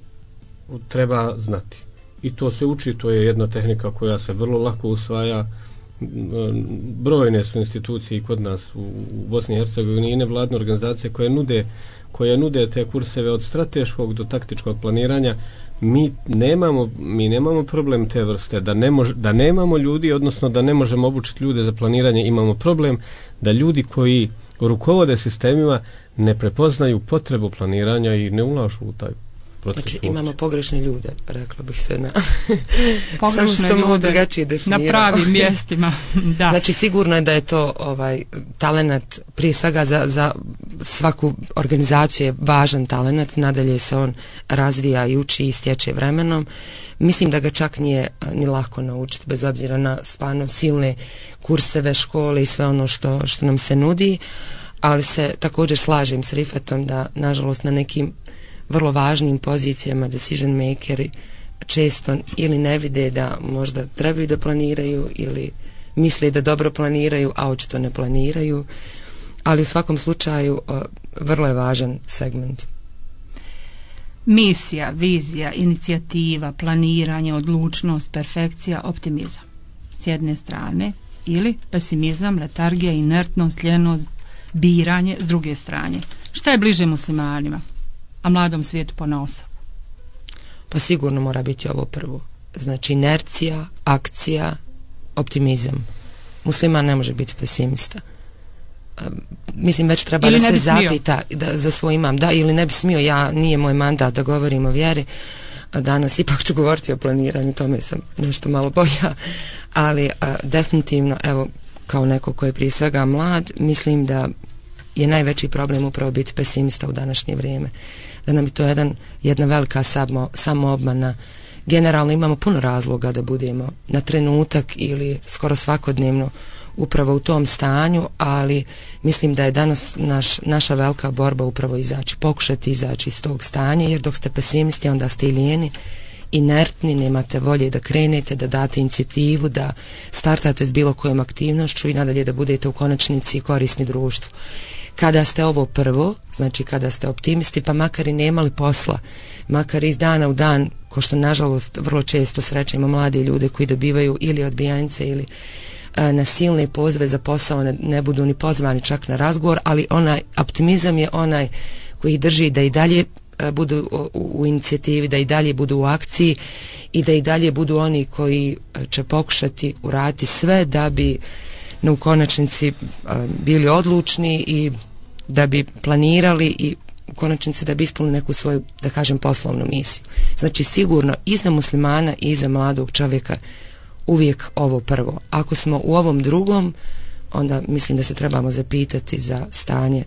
treba znati. I to se uči, to je jedna tehnika koja se vrlo lako usvaja. Brojne su institucije i kod nas u Bosni i Hercegovini i nevladne organizacije koje nude te kurseve od strateškog do taktičkog planiranja. Mi nemamo problem te vrste, da nemamo ljudi, odnosno da ne možemo obučiti ljude za planiranje. Imamo problem da ljudi koji rukovode sistemima ne prepoznaju potrebu planiranja i ne ulažu u taj proces. Znači imamo pogrešne ljude, rekla bih se na pogrešne ljude na pravim mjestima. Da. Znači sigurno je da je to talenat prije svega za svaku organizaciju je važan talenat, nadalje se on razvija i uči i stječe vremenom. Mislim da ga čak nije ni lako naučiti bez obzira na stvarno silne kurseve, škole i sve ono što nam se nudi, ali se također slažem s Rifatom da nažalost na nekim vrlo važnim pozicijama decision makeri često ili ne vide da možda trebaju da planiraju ili misle da dobro planiraju, a očito ne planiraju, ali u svakom slučaju vrlo je važan segment. Misija, vizija, inicijativa, planiranje, odlučnost, perfekcija, optimizam s jedne strane ili pesimizam, letargija, inertnost, ljenost, biranje s druge strane. Šta je bliže muslimanima, a mladom svijetu ponaosob? Pa sigurno mora biti ovo prvo. Znači inercija, akcija, optimizam. Musliman ne može biti pesimista. Mislim već treba ili da se zapita za svoj imam. Da, ili ne bi smio, nije moj mandat da govorim o vjeri. Danas ipak ću govoriti o planiranju, tome sam nešto malo bolja. Ali definitivno, evo, kao neko ko je prije svega mlad, mislim da je najveći problem upravo biti pesimista u današnje vrijeme. Da nam je to jedna velika samoobmana. Generalno imamo puno razloga da budemo na trenutak ili skoro svakodnevno upravo u tom stanju, ali mislim da je danas naša velika borba upravo pokušati izaći iz tog stanja, jer dok ste pesimisti onda ste i lijeni, inertni, nemate volje da krenete, da date inicijativu, da startate s bilo kojom aktivnošću i nadalje da budete u konačnici korisni društvu. Kada ste ovo prvo, znači kada ste optimisti, pa makar i nemali posla, makar iz dana u dan, ko što nažalost vrlo često srećemo mlade ljude koji dobivaju ili odbijanice ili na silne pozove za posao ne budu ni pozvani čak na razgovor, ali onaj optimizam je onaj koji ih drži da i dalje budu u inicijativi, da i dalje budu u akciji i da i dalje budu oni koji će pokušati uraditi sve da bi u konačnici bili odlučni i da bi planirali i u konačnici da bi ispunili neku svoju, da kažem, poslovnu misiju. Znači sigurno i za muslimana i za mladog čovjeka uvijek ovo prvo. Ako smo u ovom drugom, onda mislim da se trebamo zapitati za stanje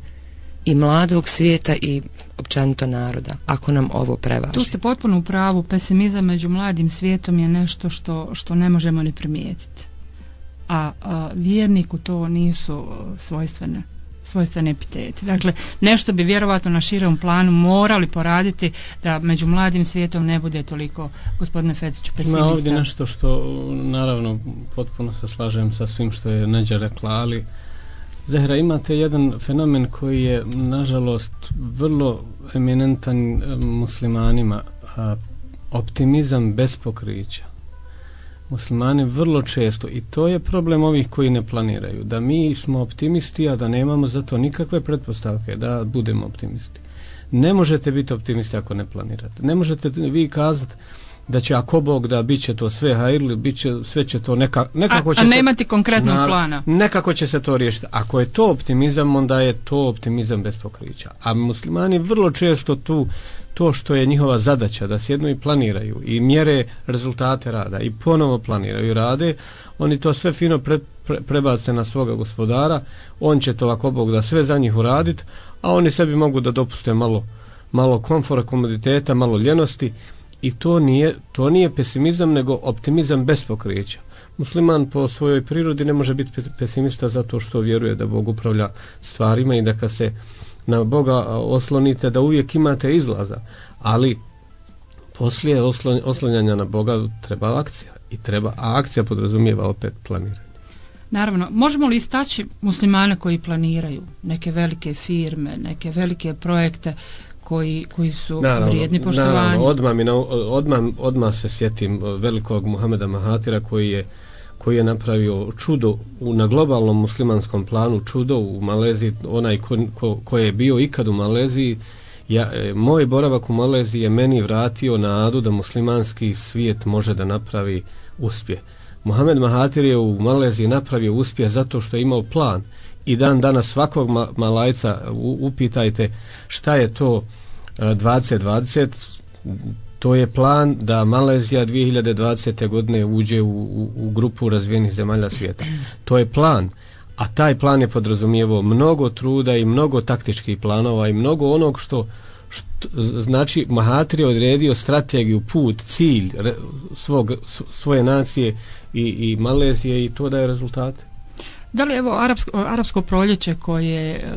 i mladog svijeta i općenito naroda, ako nam ovo prevaži. Tu ste potpuno u pravu, pesimizam među mladim svijetom je nešto što ne možemo ni primijetiti. A vjerniku to nisu svojstvene epiteti. Dakle, nešto bi vjerovatno na širem planu morali poraditi da među mladim svijetom ne bude toliko, gospodine Fetiću, pesimista. Ima ovdje nešto što, naravno, potpuno se slažem sa svim što je Neđa rekla, ali Zehra, imate jedan fenomen koji je, nažalost, vrlo eminentan muslimanima, optimizam bez pokrića. Muslimani vrlo često, i to je problem ovih koji ne planiraju, da mi smo optimisti, a da nemamo za to nikakve pretpostavke da budemo optimisti. Ne možete biti optimisti ako ne planirate. Ne možete vi kazati da će ako Bog da bit će to sve hajrli, sve će to nekako će a nemati konkretnog plana. Nekako će se to riješiti. Ako je to optimizam, onda je to optimizam bez pokrića. A muslimani vrlo često to što je njihova zadaća da sjednu i planiraju i mjere rezultate rada i ponovo planiraju i rade, oni to sve fino prebace na svoga gospodara, on će to ako Bog da sve za njih uraditi, a oni sebi mogu da dopuste malo komfora, komoditeta, malo ljenosti i to nije pesimizam nego optimizam bez pokrića. Musliman po svojoj prirodi ne može biti pesimista zato što vjeruje da Bog upravlja stvarima i da kad se na Boga oslonite da uvijek imate izlaza, ali poslije oslanjanja na Boga treba akcija a akcija podrazumijeva opet planiranje. Naravno, možemo li istaći muslimane koji planiraju neke velike firme, neke velike projekte koji su vrijedni poštovanja? Odmah se sjetim velikog Muhameda Mahatira koji je napravio čudo na globalnom muslimanskom planu, čudo u Maleziji. Onaj ko je bio ikad u Maleziji, moj boravak u Maleziji je meni vratio nadu da muslimanski svijet može da napravi uspjeh. Muhamed Mahatir je u Maleziji napravio uspjeh zato što je imao plan i dan danas svakog Malajca upitajte šta je to 2020, to je plan da Malezija 2020. godine uđe u grupu razvijenih zemalja svijeta. To je plan, a taj plan je podrazumijevao mnogo truda i mnogo taktičkih planova i mnogo onog što znači Mahatir je odredio strategiju, put, cilj svoje nacije i Malezije i to daje rezultate. Da li evo arapsko proljeće koje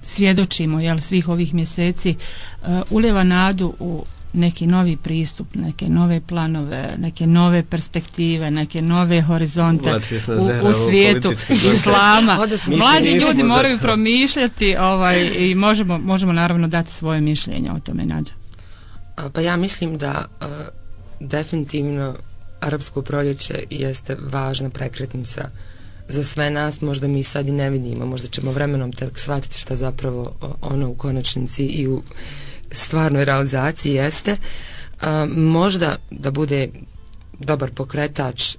svjedočimo svih ovih mjeseci ulijeva nadu u neki novi pristup, neke nove planove, neke nove perspektive, neke nove horizonte u svijetu islama. Mladi ljudi moraju promišljati i možemo naravno dati svoje mišljenje o tome. Nađa. Pa ja mislim da definitivno arapsko proljeće jeste važna prekretnica za sve nas. Možda mi sad i ne vidimo, možda ćemo vremenom tek shvatiti šta zapravo ono u konačnici i u stvarnoj realizaciji jeste. Možda da bude dobar pokretač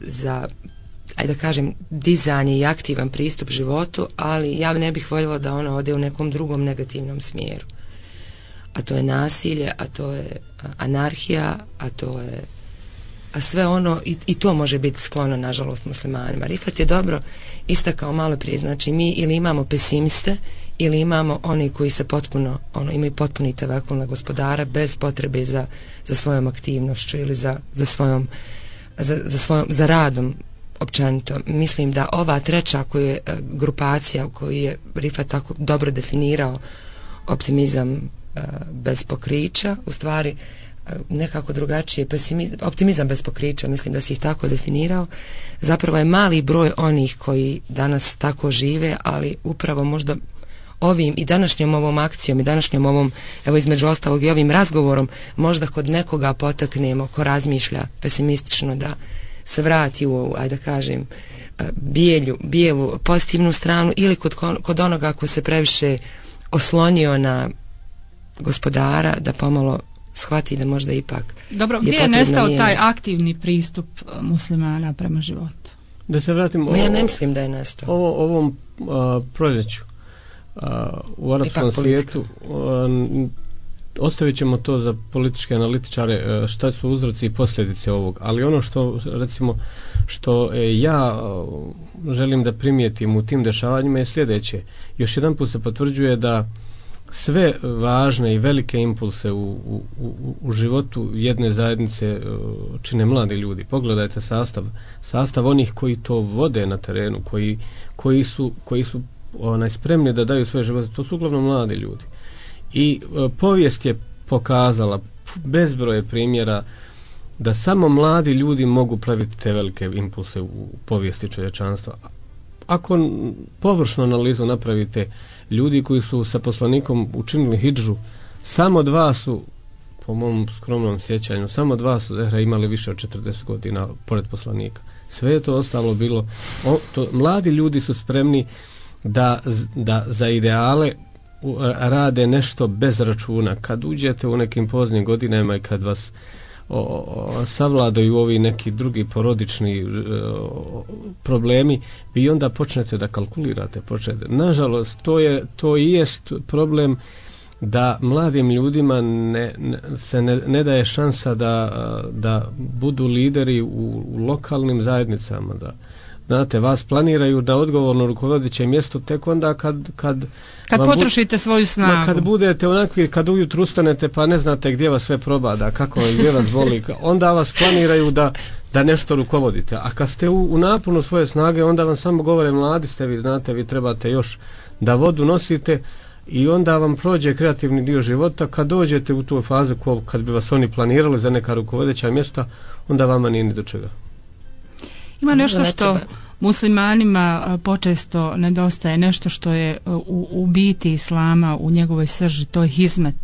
za, ajde da kažem, dizanje i aktivan pristup životu, ali ja ne bih voljela da ona ode u nekom drugom negativnom smjeru. A to je nasilje, a to je anarhija, a sve ono i to može biti sklono nažalost muslimanima. Rifat je dobro istakao malo prije, znači mi ili imamo pesimiste ili imamo oni koji se potpuno imaju potpuni tevekul na gospodara bez potrebe za svojom aktivnošću ili za radom općenito. Mislim da ova treća grupacija u kojoj je Rifat tako dobro definirao optimizam bez pokrića, u stvari nekako drugačije, optimizam bez pokrića, mislim da si ih tako definirao, zapravo je mali broj onih koji danas tako žive, ali upravo možda ovim i današnjom ovom akcijom i današnjom ovom, evo između ostalog i ovim razgovorom, možda kod nekoga potaknemo ko razmišlja pesimistično da se vrati u ovu, ajde da kažem, bijelu pozitivnu stranu, ili kod onoga ko se previše oslonio na gospodara da pomalo shvati da možda ipak dobro, gdje je nestao taj aktivni pristup muslimana prema životu? Da se vratim, ja ne mislim da je nestao. Ovom proljeću u arapskom svijetu ostavit ćemo to za političke analitičare šta su uzroci i posljedice ovog, ali ono što recimo što ja želim da primijetim u tim dešavanjima je sljedeće. Još jedan put se potvrđuje da sve važne i velike impulse u životu jedne zajednice čine mladi ljudi. Pogledajte sastav onih koji to vode na terenu, koji su spremni da daju svoje živote, to su uglavnom mladi ljudi. I povijest je pokazala bezbroje primjera da samo mladi ljudi mogu praviti te velike impulse u povijesti čovječanstva. Ako površnu analizu napravite, ljudi koji su sa poslanikom učinili hidžu, samo 2 su, po mom skromnom sjećanju, samo 2 su Zehra imali više od 40 godina pored poslanika. Sve je to ostalo bilo, mladi ljudi su spremni da za ideale rade nešto bez računa. Kad uđete u nekim poznim godinama i kad vas savladaju ovi neki drugi porodični problemi, vi onda počnete da kalkulirate. Nažalost, to i jest problem da mladim ljudima se ne daje šansa da budu lideri u lokalnim zajednicama, da znate, vas planiraju na odgovorno rukovodeće mjesto tek onda kad potrošite svoju snagu. Kad budete onakvi, kad ujutru ustanete pa ne znate gdje vas sve probada, kako gdje vas voli, onda vas planiraju da nešto rukovodite. A kad ste u naponu svoje snage, onda vam samo govore mladi ste, vi znate, vi trebate još da vodu nosite i onda vam prođe kreativni dio života. Kad dođete u tu fazu kad bi vas oni planirali za neka rukovodeća mjesta, onda vama nije ni do čega. Ima nešto što muslimanima počesto nedostaje, nešto što je u biti islama, u njegovoj srži, to je hizmet,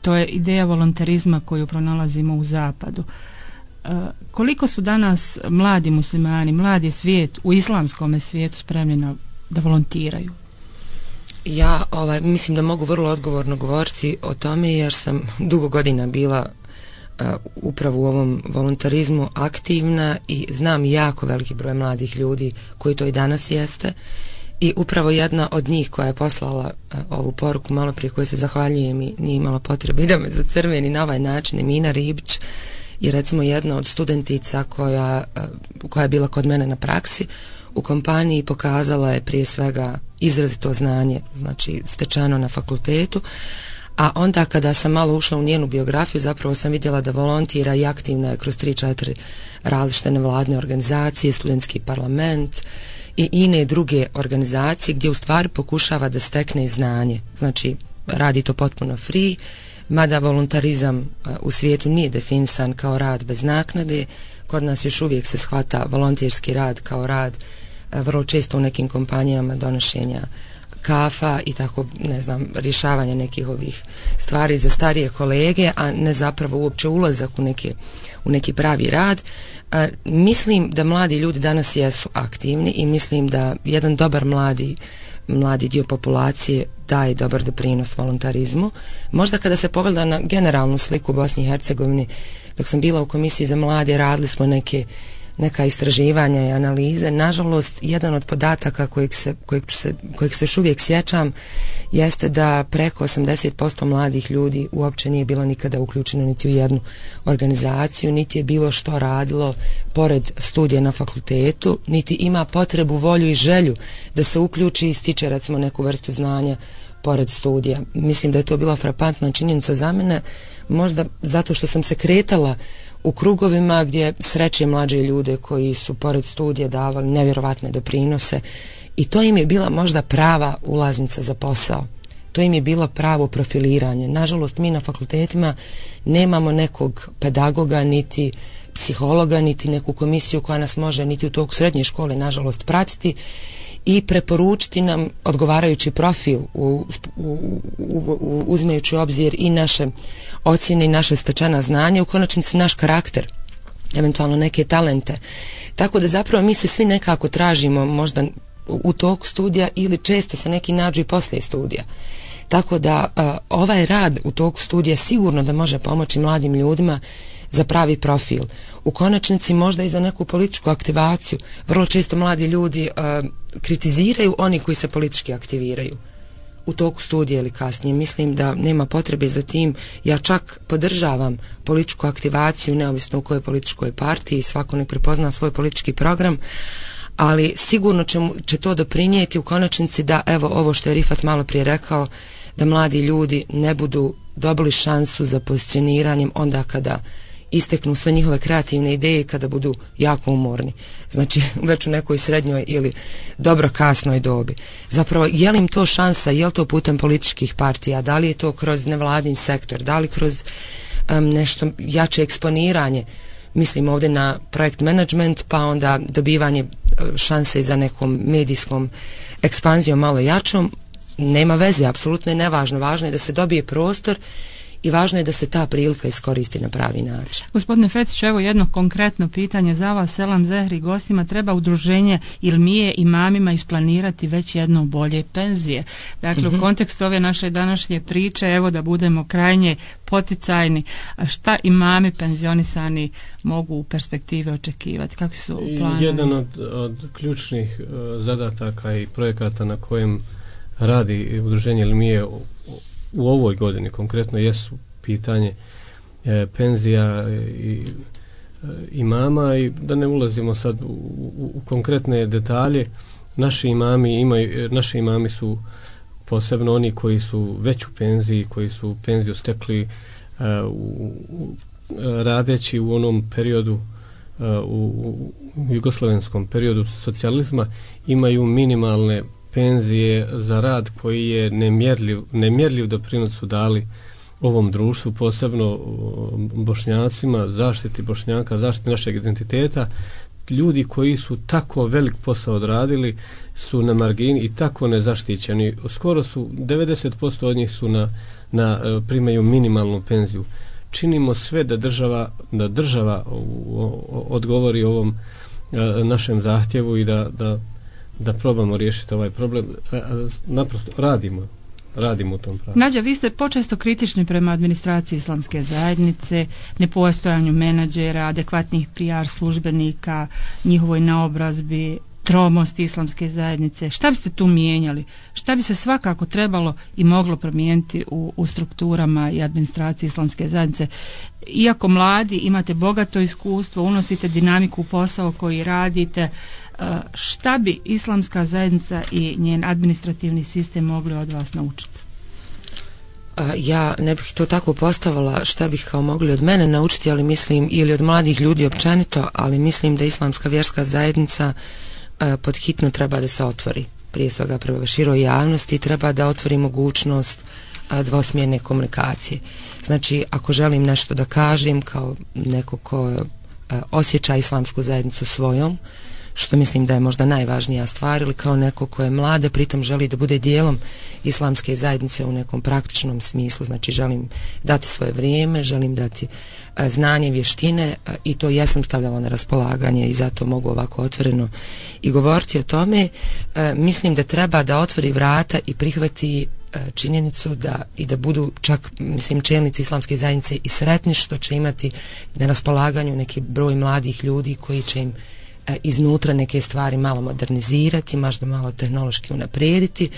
to je ideja volontarizma koju pronalazimo u zapadu. Koliko su danas mladi muslimani, mladi svijet u islamskom svijetu spremni da volontiraju? Ja mislim da mogu vrlo odgovorno govoriti o tome jer sam dugo godina bila upravo u ovom volontarizmu aktivna i znam jako veliki broj mladih ljudi koji to i danas jeste i upravo jedna od njih koja je poslala ovu poruku malo prije, koje se zahvaljujem i nije imala potrebe da me zacrveni na ovaj način, Emina Ribić je recimo jedna od studentica koja je bila kod mene na praksi u kompaniji i pokazala je prije svega izrazito znanje, znači stečeno na fakultetu. A onda kada sam malo ušla u njenu biografiju, zapravo sam vidjela da volontira i aktivna je kroz 3-4 različite nevladine organizacije, studentski parlament i ine druge organizacije gdje u stvari pokušava da stekne znanje. Znači, radi to potpuno free, mada volontarizam u svijetu nije definisan kao rad bez naknade. Kod nas još uvijek se shvata volonterski rad kao rad vrlo često u nekim kompanijama donošenja kafa i tako, ne znam, rješavanja nekih ovih stvari za starije kolege, a ne zapravo uopće ulazak u neki pravi rad. Mislim da mladi ljudi danas jesu aktivni i mislim da jedan dobar mladi dio populacije daje dobar doprinos volontarizmu. Možda kada se pogleda na generalnu sliku u Bosni i Hercegovini, dok sam bila u komisiji za mlade, radili smo neka istraživanja i analize. Nažalost, jedan od podataka kojeg se još uvijek sjećam jeste da preko 80% mladih ljudi uopće nije bilo nikada uključeno niti u jednu organizaciju, niti je bilo što radilo pored studija na fakultetu, niti ima potrebu, volju i želju da se uključi i stiče recimo neku vrstu znanja pored studija. Mislim da je to bila frapantna činjenica za mene, možda zato što sam se kretala u krugovima gdje sreće mlađe ljude koji su pored studija davali nevjerovatne doprinose i to im je bila možda prava ulaznica za posao. To im je bilo pravo profiliranje. Nažalost, mi na fakultetima nemamo nekog pedagoga, niti psihologa, niti neku komisiju koja nas može niti u toku srednje škole, nažalost, pratiti i preporučiti nam odgovarajući profil uzimajući u obzir i naše ocjene i naše stečena znanja, u konačnici naš karakter, eventualno neke talente. Tako da zapravo mi se svi nekako tražimo možda u toku studija ili često se neki nađu i poslije studija. Tako da ovaj rad u toku studija sigurno da može pomoći mladim ljudima za pravi profil. U konačnici možda i za neku političku aktivaciju. Vrlo često mladi ljudi kritiziraju oni koji se politički aktiviraju u toku studija ili kasnije. Mislim da nema potrebe za tim. Ja čak podržavam političku aktivaciju neovisno u kojoj političkoj partiji, svako nek prepozna svoj politički program, ali sigurno će to doprinijeti u konačnici da, evo ovo što je Rifat malo prije rekao, da mladi ljudi ne budu dobili šansu za pozicioniranjem onda kada isteknu sve njihove kreativne ideje, kada budu jako umorni. Znači, već u nekoj srednjoj ili dobro kasnoj dobi. Zapravo, je li im to šansa, je li to putem političkih partija, da li je to kroz nevladin sektor, da li kroz nešto jače eksponiranje, mislim ovdje na projekt management, pa onda dobivanje šanse za nekom medijskom ekspanzijom malo jačom, nema veze, apsolutno je nevažno. Važno je da se dobije prostor i važno je da se ta prilika iskoristi na pravi način. Gospodine Fetiću, evo jedno konkretno pitanje za vas. Selam Zehri gostima, treba udruženje Ilmije imamima isplanirati već jedno bolje penzije. Dakle, u kontekstu ove naše današnje priče, evo da budemo krajnje poticajni, šta imami penzionisani mogu u perspektive očekivati? Kakvi su planovi? Jedan od ključnih zadataka i projekata na kojem radi udruženje Ilmije u ovoj godini konkretno jesu pitanje penzija i imama, i da ne ulazimo sad u konkretne detalje. Naši imami su posebno oni koji su već u penziji, koji su penziju stekli radeći u onom periodu, u jugoslovenskom periodu socijalizma, imaju minimalne penzije za rad koji je nemjerljiv doprinos su dali ovom društvu, posebno Bošnjacima, zaštiti Bošnjaka, zaštiti našeg identiteta. Ljudi koji su tako velik posao odradili su na margini i tako nezaštićeni. Skoro su 90% od njih su primaju minimalnu penziju. Činimo sve da država odgovori ovom našem zahtjevu i da probamo riješiti ovaj problem. Naprosto radimo u tom pravu. Nađa, vi ste počesto kritični prema administraciji islamske zajednice, nepostojanju menadžera, adekvatnih PR službenika, njihovoj naobrazbi, tromosti islamske zajednice. Šta biste tu mijenjali? Šta bi se svakako trebalo i moglo promijeniti u strukturama i administraciji islamske zajednice? Iako mladi, imate bogato iskustvo, unosite dinamiku u posao koji radite, šta bi islamska zajednica i njen administrativni sistem mogli od vas naučiti? Ja ne bih to tako postavila šta bih kao mogli od mene naučiti, ali mislim, ili od mladih ljudi općenito, ali mislim da islamska vjerska zajednica pod hitno treba da se otvori. Prije svega prema široj javnosti treba da otvori mogućnost dvosmjerne komunikacije. Znači, ako želim nešto da kažem kao neko ko osjeća islamsku zajednicu svojom, što mislim da je možda najvažnija stvar, ili kao neko ko je mlade, pritom želi da bude dijelom islamske zajednice u nekom praktičnom smislu, znači želim dati svoje vrijeme, želim dati znanje, vještine, i to jesam stavljala na raspolaganje i zato mogu ovako otvoreno i govoriti o tome. Mislim da treba da otvori vrata i prihvati činjenicu da budu čak, mislim, čelnici islamske zajednice i sretni što će imati na raspolaganju neki broj mladih ljudi koji će im iznutra neke stvari malo modernizirati, možda malo tehnološki unaprijediti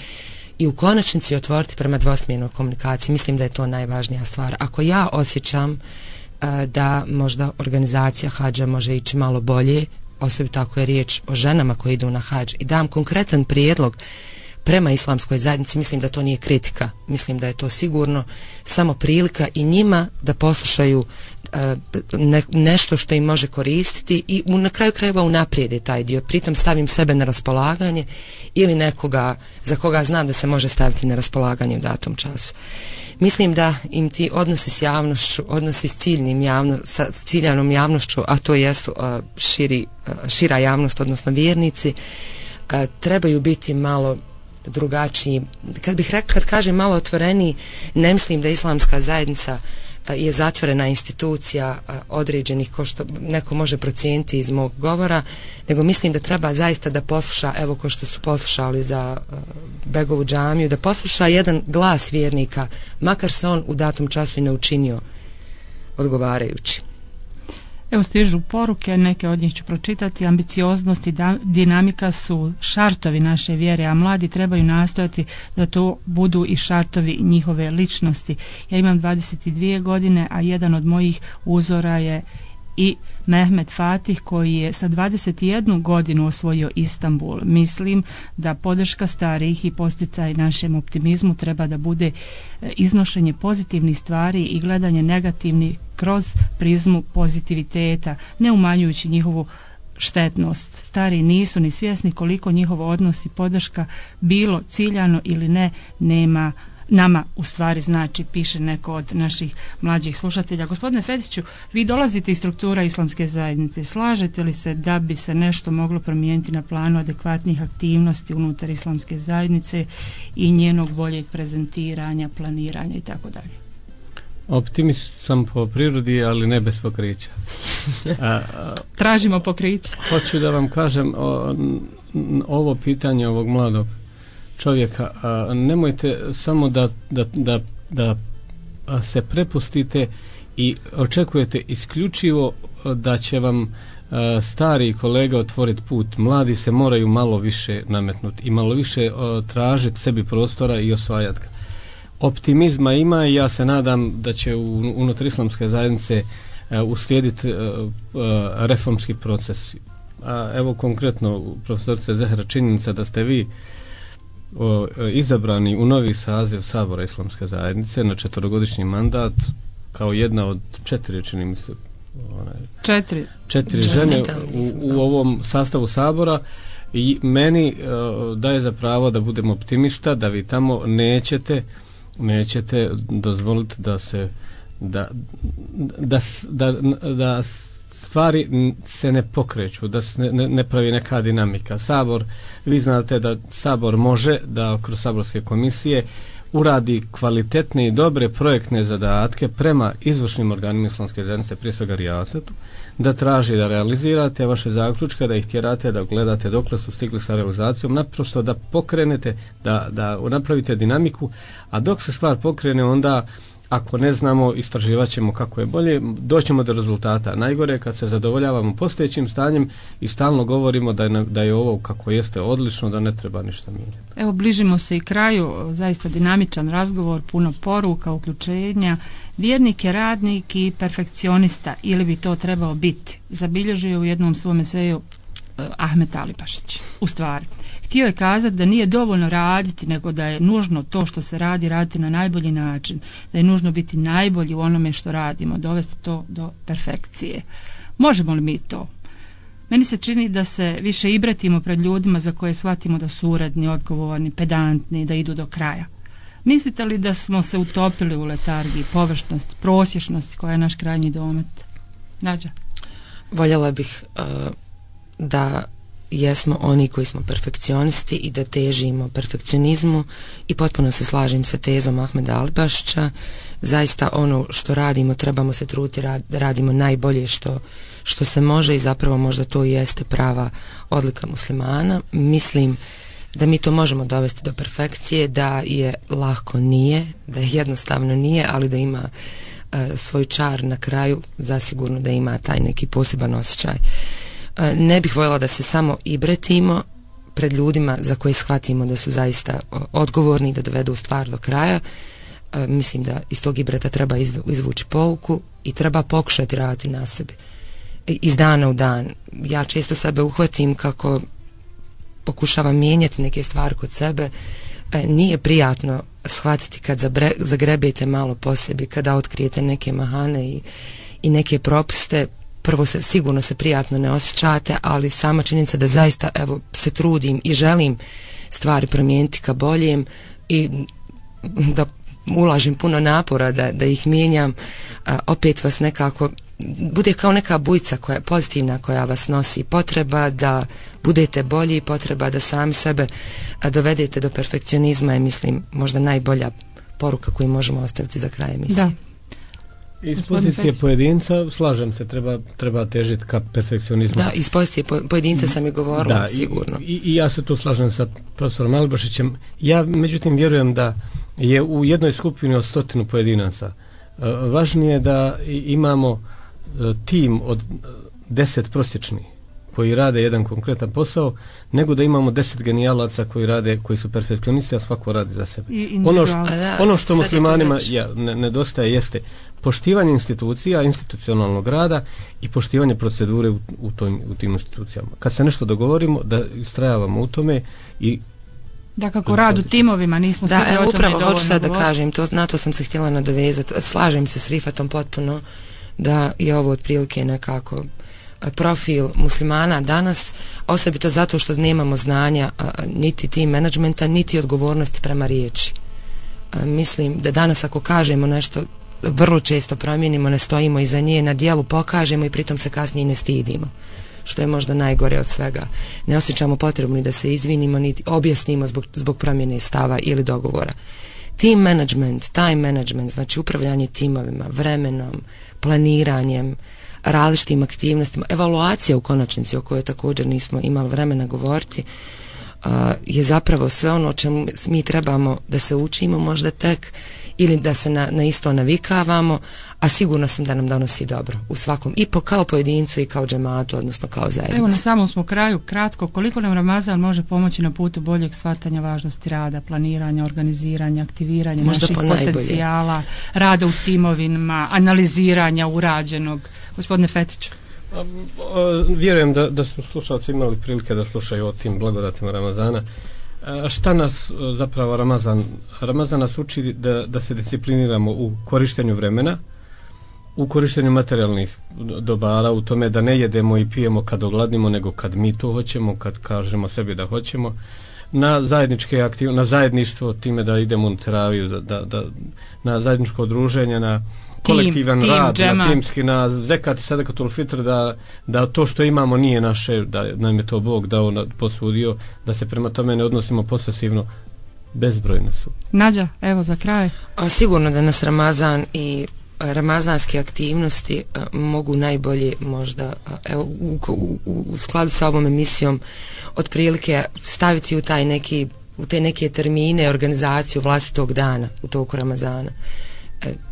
i u konačnici otvoriti prema dvosmjernoj komunikaciji. Mislim da je to najvažnija stvar. Ako ja osjećam da možda organizacija hadža može ići malo bolje, osobito ako je riječ o ženama koje idu na hadž, i dam konkretan prijedlog prema islamskoj zajednici, mislim da to nije kritika, mislim da je to sigurno samo prilika i njima da poslušaju nešto što im može koristiti i na kraju krajeva unaprijede taj dio, pritom stavim sebe na raspolaganje ili nekoga za koga znam da se može staviti na raspolaganje u datom času. Mislim da im ti odnosi s javnošću, odnosi s sa ciljanom javnošću, a to jesu šira javnost, odnosno vjernici, trebaju biti malo drugačiji. Kad kažem malo otvoreniji, ne mislim da islamska zajednica je zatvorena institucija određenih, ko što neko može procijeniti iz mog govora, nego mislim da treba zaista da posluša, evo ko što su poslušali za Begovu džamiju, da posluša jedan glas vjernika, makar se on u datom času i ne učinio odgovarajući. Evo stižu poruke, neke od njih ću pročitati. Ambicioznost i dinamika su šartovi naše vjere, a mladi trebaju nastojati da to budu i šartovi njihove ličnosti. Ja imam 22 godine, a jedan od mojih uzora je i Mehmet Fatih koji je sa 21 godinu osvojio Istanbul. Mislim da podrška starijih i posticaj našem optimizmu treba da bude iznošenje pozitivnih stvari i gledanje negativnih kroz prizmu pozitiviteta, ne umanjujući njihovu štetnost. Stari nisu ni svjesni koliko njihov odnos i podrška, bilo ciljano ili ne, nema nama u stvari znači, piše neko od naših mlađih slušatelja. Gospodine Fetiću, vi dolazite iz struktura islamske zajednice. Slažete li se da bi se nešto moglo promijeniti na planu adekvatnih aktivnosti unutar islamske zajednice i njenog boljeg prezentiranja, planiranja i tako dalje? Optimist sam po prirodi, ali ne bez pokrića. Tražimo pokriće. Hoću da vam kažem ovo pitanje ovog mladog čovjeka. Nemojte samo da se prepustite i očekujete isključivo da će vam stari kolega otvoriti put. Mladi se moraju malo više nametnuti i malo više tražiti sebi prostora i osvajati ga. Optimizma ima i ja se nadam da će unutar islamske zajednice uslijediti reformski proces. Evo konkretno, profesorice Zehra, činjenica da ste vi izabrani u novi saziv Sabora islamske zajednice na 4-godišnji mandat kao jedna od 4, čini mi se, 4 žene u ovom sastavu Sabora, i meni daje za pravo da budem optimista da vi tamo nećete dozvoliti da se da stvari se ne pokreću, da se ne pravi neka dinamika. Sabor, vi znate da Sabor može da kroz saborske komisije uradi kvalitetne i dobre projektne zadatke prema izvršnim organima islamske zajednice, prije svega rijasetu, da traži da realizirate vaše zaključke, da ih tjerate, da gledate dokle su stigli sa realizacijom, naprosto da pokrenete, da napravite dinamiku, a dok se stvar pokrene, onda ako ne znamo, istraživat ćemo kako je bolje, doćemo do rezultata. Najgore je kad se zadovoljavamo postojećim stanjem i stalno govorimo da je ovo kako jeste odlično, da ne treba ništa mijenjati. Evo, bližimo se i kraju, zaista dinamičan razgovor, puno poruka, uključenja. Vjernik je radnik i perfekcionista, ili bi to trebao biti, zabilježio u jednom svom eseju Ahmet Alibašić. U stvari, htio je kazati da nije dovoljno raditi, nego da je nužno to što se radi, raditi na najbolji način, da je nužno biti najbolji u onome što radimo, dovesti to do perfekcije. Možemo li mi to? Meni se čini da se više ibratimo pred ljudima za koje shvatimo da su uredni, odgovorni, pedantni, da idu do kraja. Mislite li da smo se utopili u letargiji, površnosti, prosječnosti koja je naš krajnji domet? Nađa? Voljela bih da jesmo oni koji smo perfekcionisti i da težimo perfekcionizmu, i potpuno se slažem sa tezom Ahmeda Alibašića. Zaista ono što radimo trebamo se truditi da radimo najbolje što se može, i zapravo možda to i jeste prava odlika muslimana. Mislim da mi to možemo dovesti do perfekcije, da je lako nije, da je jednostavno nije, ali da ima svoj čar na kraju, zasigurno da ima taj neki poseban osjećaj. Ne bih voljela da se samo ibretimo pred ljudima za koje shvatimo da su zaista odgovorni, da dovedu stvar do kraja. Mislim da iz tog ibreta treba izvući pouku i treba pokušati raditi na sebi iz dana u dan. Ja često sebe uhvatim kako pokušavam mijenjati neke stvari kod sebe. Nije prijatno shvatiti kad zagrebete malo po sebi, kada otkrijete neke mahane i neke propuste. Prvo sigurno se prijatno ne osjećate, ali sama činjenica da zaista se trudim i želim stvari promijeniti ka boljem i da ulažem puno napora da ih mijenjam, opet vas nekako bude kao neka bujica koja je pozitivna, koja vas nosi. Potreba da budete bolji, potreba da sami sebe dovedete do perfekcionizma je, mislim, možda najbolja poruka koju možemo ostaviti za kraj emisije. Da. Iz pozicije pojedinca, slažem se, treba težiti ka perfekcionizmu. Da, iz pozicije pojedinca sam i govorila, da, sigurno. I ja se tu slažem sa profesorom Alibašićem. Ja, međutim, vjerujem da je u jednoj skupini od 100 pojedinaca važnije da imamo tim od 10 prosječnih koji rade jedan konkretan posao, nego da imamo 10 genijalaca koji su perfekcionisti, a svako radi za sebe. Ono što muslimanima nedostaje jeste poštivanje institucija, institucionalnog rada i poštivanje procedure u tim institucijama. Kad se nešto dogovorimo, da istrajavamo u tome i da kako rad u timovima nismo stigli o tome dovoljno. Da, upravo hoću sad da kažem, na to sam se htjela nadovezati. Slažem se s Rifatom potpuno da je ovo otprilike nekako profil muslimana danas, osobito zato što nemamo znanja niti tim menadžmenta, niti odgovornosti prema riječi. Mislim da danas ako kažemo nešto, vrlo često promijenimo, ne stojimo iza nje, na djelu pokažemo i pritom se kasnije ne stidimo, što je možda najgore od svega. Ne osjećamo potrebu ni da se izvinimo, niti objasnimo zbog promjene stava ili dogovora. Team management, time management, znači upravljanje timovima, vremenom, planiranjem, različitim aktivnostima, evaluacija u konačnici o kojoj također nismo imali vremena govoriti, je zapravo sve ono o čemu mi trebamo da se učimo možda tek ili da se na isto navikavamo, a sigurno sam da nam donosi dobro u svakom, i kao pojedincu i kao džematu, odnosno kao zajednici. Evo na samom smo kraju, kratko, koliko nam Ramazan može pomoći na putu boljeg shvatanja važnosti rada, planiranja, organiziranja, aktiviranja možda naših potencijala, rada u timovima, analiziranja urađenog. Gospodine Fetiću. Vjerujem da su slušalci imali prilike da slušaju o tim blagodatima Ramazana. Šta nas zapravo Ramazan nas uči da se discipliniramo u korištenju vremena, u korištenju materijalnih dobara, u tome da ne jedemo i pijemo kad ogladnimo, nego kad mi to hoćemo, kad kažemo sebi da hoćemo, na zajedničke aktivnosti, na zajedništvo, time da idemo u teraviju, na zajedničko druženje, na kolektivan rad, na timski, na zekat i sadakatul fitr, da to što imamo nije naše, da nam je to Bog dao, posudio, da se prema tome ne odnosimo posesivno. Bezbrojne su. Nađa, evo za kraj. Sigurno da nas Ramazan i ramazanske aktivnosti mogu najbolje možda u skladu sa ovom emisijom otprilike staviti u te neke termine, organizaciju vlastitog dana u toku Ramazana.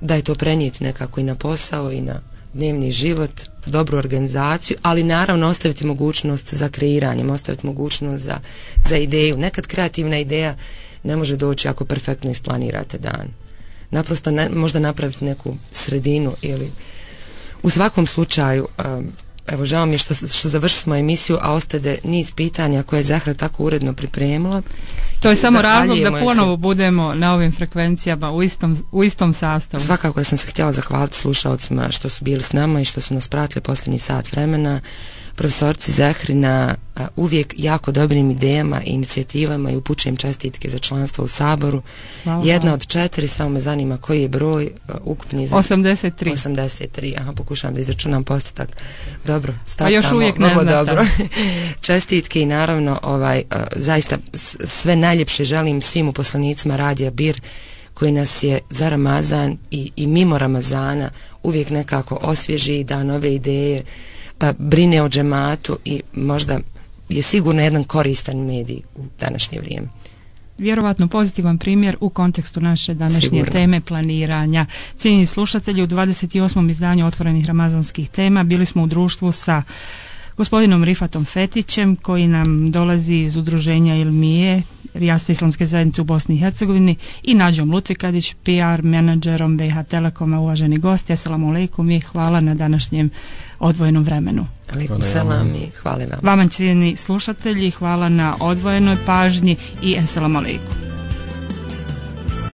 Da je to prenijeti nekako i na posao i na dnevni život, dobru organizaciju, ali naravno ostaviti mogućnost za kreiranjem, ostaviti mogućnost za ideju. Nekad kreativna ideja ne može doći ako perfektno isplanirate dan. Naprosto možda napraviti neku sredinu ili u svakom slučaju, evo žao mi je što završimo emisiju, a ostade niz pitanja koje je Zahra tako uredno pripremila. To je samo razlog da ponovo budemo na ovim frekvencijama u istom sastavu. Svakako sam se htjela zahvaliti slušalcima što su bili s nama i što su nas pratili posljednji sat vremena. Profesorci Zahri na uvijek jako dobrim idejama i inicijativama i upućujem čestitke za članstvo u Saboru. Hvala. Jedna od 4, samo me zanima koji je broj ukupni. 83. Aha, pokušavam da izračunam postotak. Dobro, startamo vrlo dobro. Čestitke i naravno zaista sve najljepše želim svim uposlenicima Radija Bir koji nas je za Ramazan i mimo Ramazana uvijek nekako osvježi, da nove ideje, brine o džematu i možda je sigurno jedan koristan medij u današnje vrijeme. Vjerovatno pozitivan primjer u kontekstu naše današnje teme planiranja. Cijenjeni slušatelji, u 28. izdanju Otvorenih ramazanskih tema bili smo u društvu sa gospodinom Rifatom Fetićem koji nam dolazi iz udruženja Ilmije, Rijasta Islamske zajednice u Bosni i Hercegovini, i Nađom Lutvikadić, PR menadžerom BiH Telekoma. Uvaženi gosti, assalamu alaikum i hvala na današnjem odvojenom vremenu. Alaikum salam i hvala vam. Vama cijenjeni slušatelji, hvala na odvojenoj pažnji i assalamu alaikum.